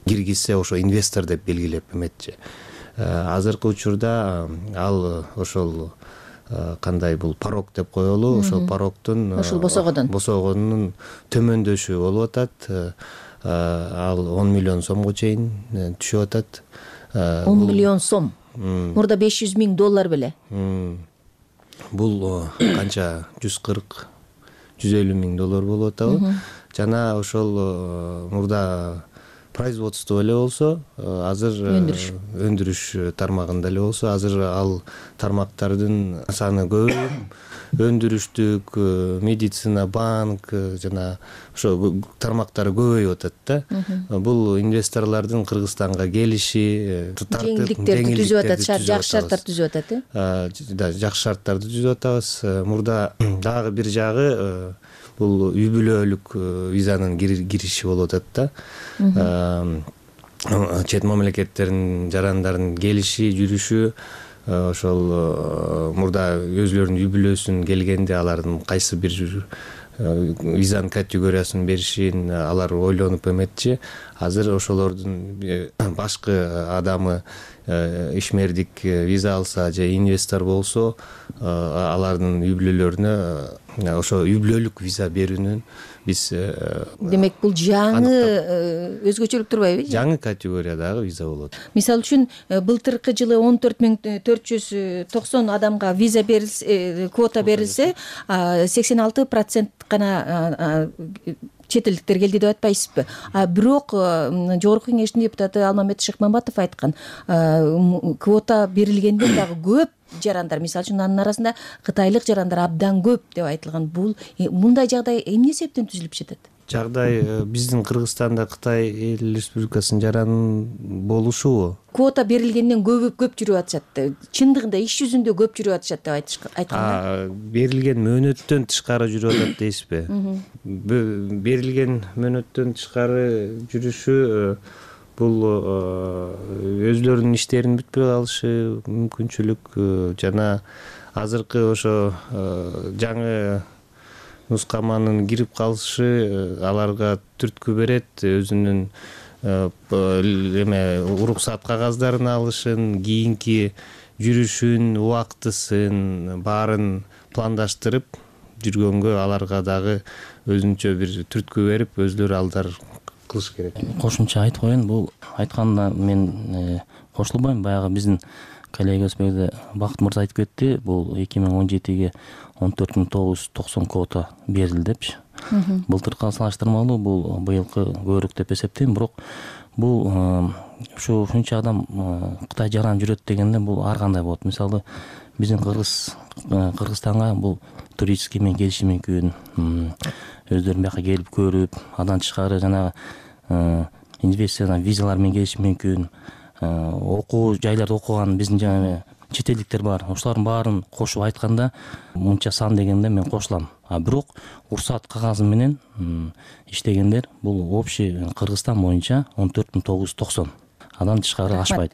киргизсе, ошо инвестор деп белгилеп эметчи. Азыркы учурда ал ошол кандай бул порог деп коелу, ошол порогдун ошол босогонун төмөндөшү болуп атат. Ал 10 миллион сомго чейин түшүп атат. 10 миллион сом. Мурда $500,000 беле. Бул канча $140-150,000 болуп атабы? Жана ошол мурда производство эле болсо, азыр өндүрүш тармагында эле болсо, азыр ал тармактардын саны көбөйүп, өндүрүштүк, медицина, банк жана ошо тармактары көбөйүп атат да. Бул инвесторлордун Кыргызстанга келиши, жеңилдиктерди түзүп атат, жакшы шарттар түзүп атат. Жакшы шарттарды түзүп атабыз. Мурда дагы бир жагы бул үй бүлөлүк визанын кириши болуп атат да. Чет мамлекеттердин жарандарынын келиши, жүрүшү, ошол мурда өзүлөрүнүн үй бүлөсүн келгенде алардын кайсы бир визанын категориясын беришин алар ойлонуп эметчи. Азыр ошолордун башкы адамы ишмердик виза алса же инвестор болсо, алардын үй бүлөлөрүнө ошо үй бүлөлүк виза берүүнүн биз демек бул жаңы өзгөчөлүк турбайбы? Жаңы категориядагы виза болот. Мисалы үчүн былтыркы жылы 14,490 адамга виза берилсе, квота берилсе, 86% гана чет элдиктер келди деп атпайсызбы? Бирок жогорку кеңештин депутаты Алмамет Шыкмамбатов айткан, квота берилгенден дагы көп жарандар, мисалы үчүн анын арасында кытайлык жарандар абдан көп деп айтылган. Бул мындай жагдай эмне себептен түзүлүп жатат? Жагдай биздин Кыргызстанда Кытай Эл Республикасынын жаранын болушубу? Квота берилгенден көп жүрүп атышат. Чындыгында иш жүзүндө көп жүрүп атышат деп айткан. Берилген мөөнөттөн тышкары жүрүп атат дейсизби? Берилген мөөнөттөн тышкары жүрүшү бул өзлөрүнүн иштеринин бүтпөй калышы мүмкүнчүлүк жана азыркы ошо жаңы нускаманын кирип калышы аларга түрткү берет. Өзүнүн уруксат кагаздарын алышын, кийинки жүрүшүн, убактысын баарын пландаштырып жүргөнгө аларга дагы өзүнчө бир түрткү берип, өзлөрү алдар кылыш керек. Кошумча айтып коеюн, бул айтканда мен кошулбайм. Баягы биздин коллегабыз Бакыт мырза айтып кетти, бул 2017-ге 14,990 квота берилди депчи. Былтыркы салыштырмалуу бул быйылкы көбүрөөк деп эсептейм. Бирок бул ушунча адам Кытай жаран жүрөт дегенде бул ар кандай болот. Мисалы биздин Кыргызстанга бул туристский менен келиши мүмкүн, өздөрү бияка келип көрүп, андан тышкары жанагы инвестициялар, визалар менен келиши мүмкүн. Окуу жайларда окуган биздин жаңы чет элдиктер бар. Ошолордун баарын кошуп айтканда мынча сан дегенде мен кошулам. Бирок уруксат кагазы менен иштегендер бул общий Кыргызстан боюнча 14,990. Андан тышкары ашпайт.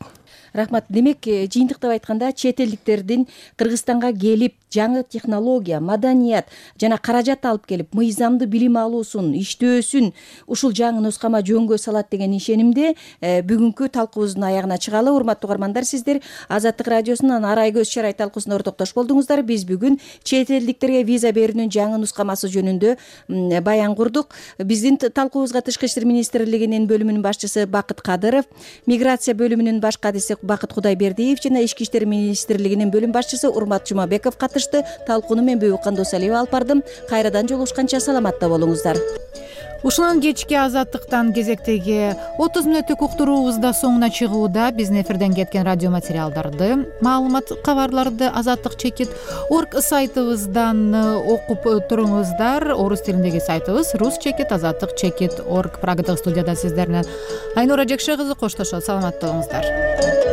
Рахмат. Демек, жыйынтыктап айтканда чет элдиктердин Кыргызстанга келип жаңы технология, маданият жана каражат алып келип, мыйзамдуу билим алуусун, иштөөсүн ушул жаңы нускама жөнгө салат деген ишенимде бүгүнкү талкуубуздун аягына чыгалы. Урматтуу угармандар, сиздер Азаттык радиосунун Арай көз чарай талкуусуна ортоктош болдуңуздар. Биз бүгүн чет элдиктерге виза берүүнүн жаңы нускамасы жөнүндө баян курдук. Биздин талкуубузга Тышкы иштер министрлигинин бөлүмүнүн башчысы Бакыт Кадыров, миграция бөлүмүнүн баш кадиси Бакыт Кудайбердиев жана Ички иштер министрлигинин бөлүм башчысы Урмат Жумабеков катышты. Талкууну мен Бөбүкан Досалиева алып бардым. Кайрадан жолугушканча саламатта болуңуздар. Ушунан кечки азаттыктан кезектеги 30 мүнөттүк уктуруубуз да соңуна чыгууда. Биздин эфирден кеткен радио материалдарды, маалымат, кабарларды азаттык чекит орг сайтыбыздан окуп туруңуздар. Орус тилиндеги сайтыбыз рус чекит азаттык чекит орг. Прагадагы студияда сиздер менен Айнура Жекше кызы коштошот. Саламатта болуңуздар.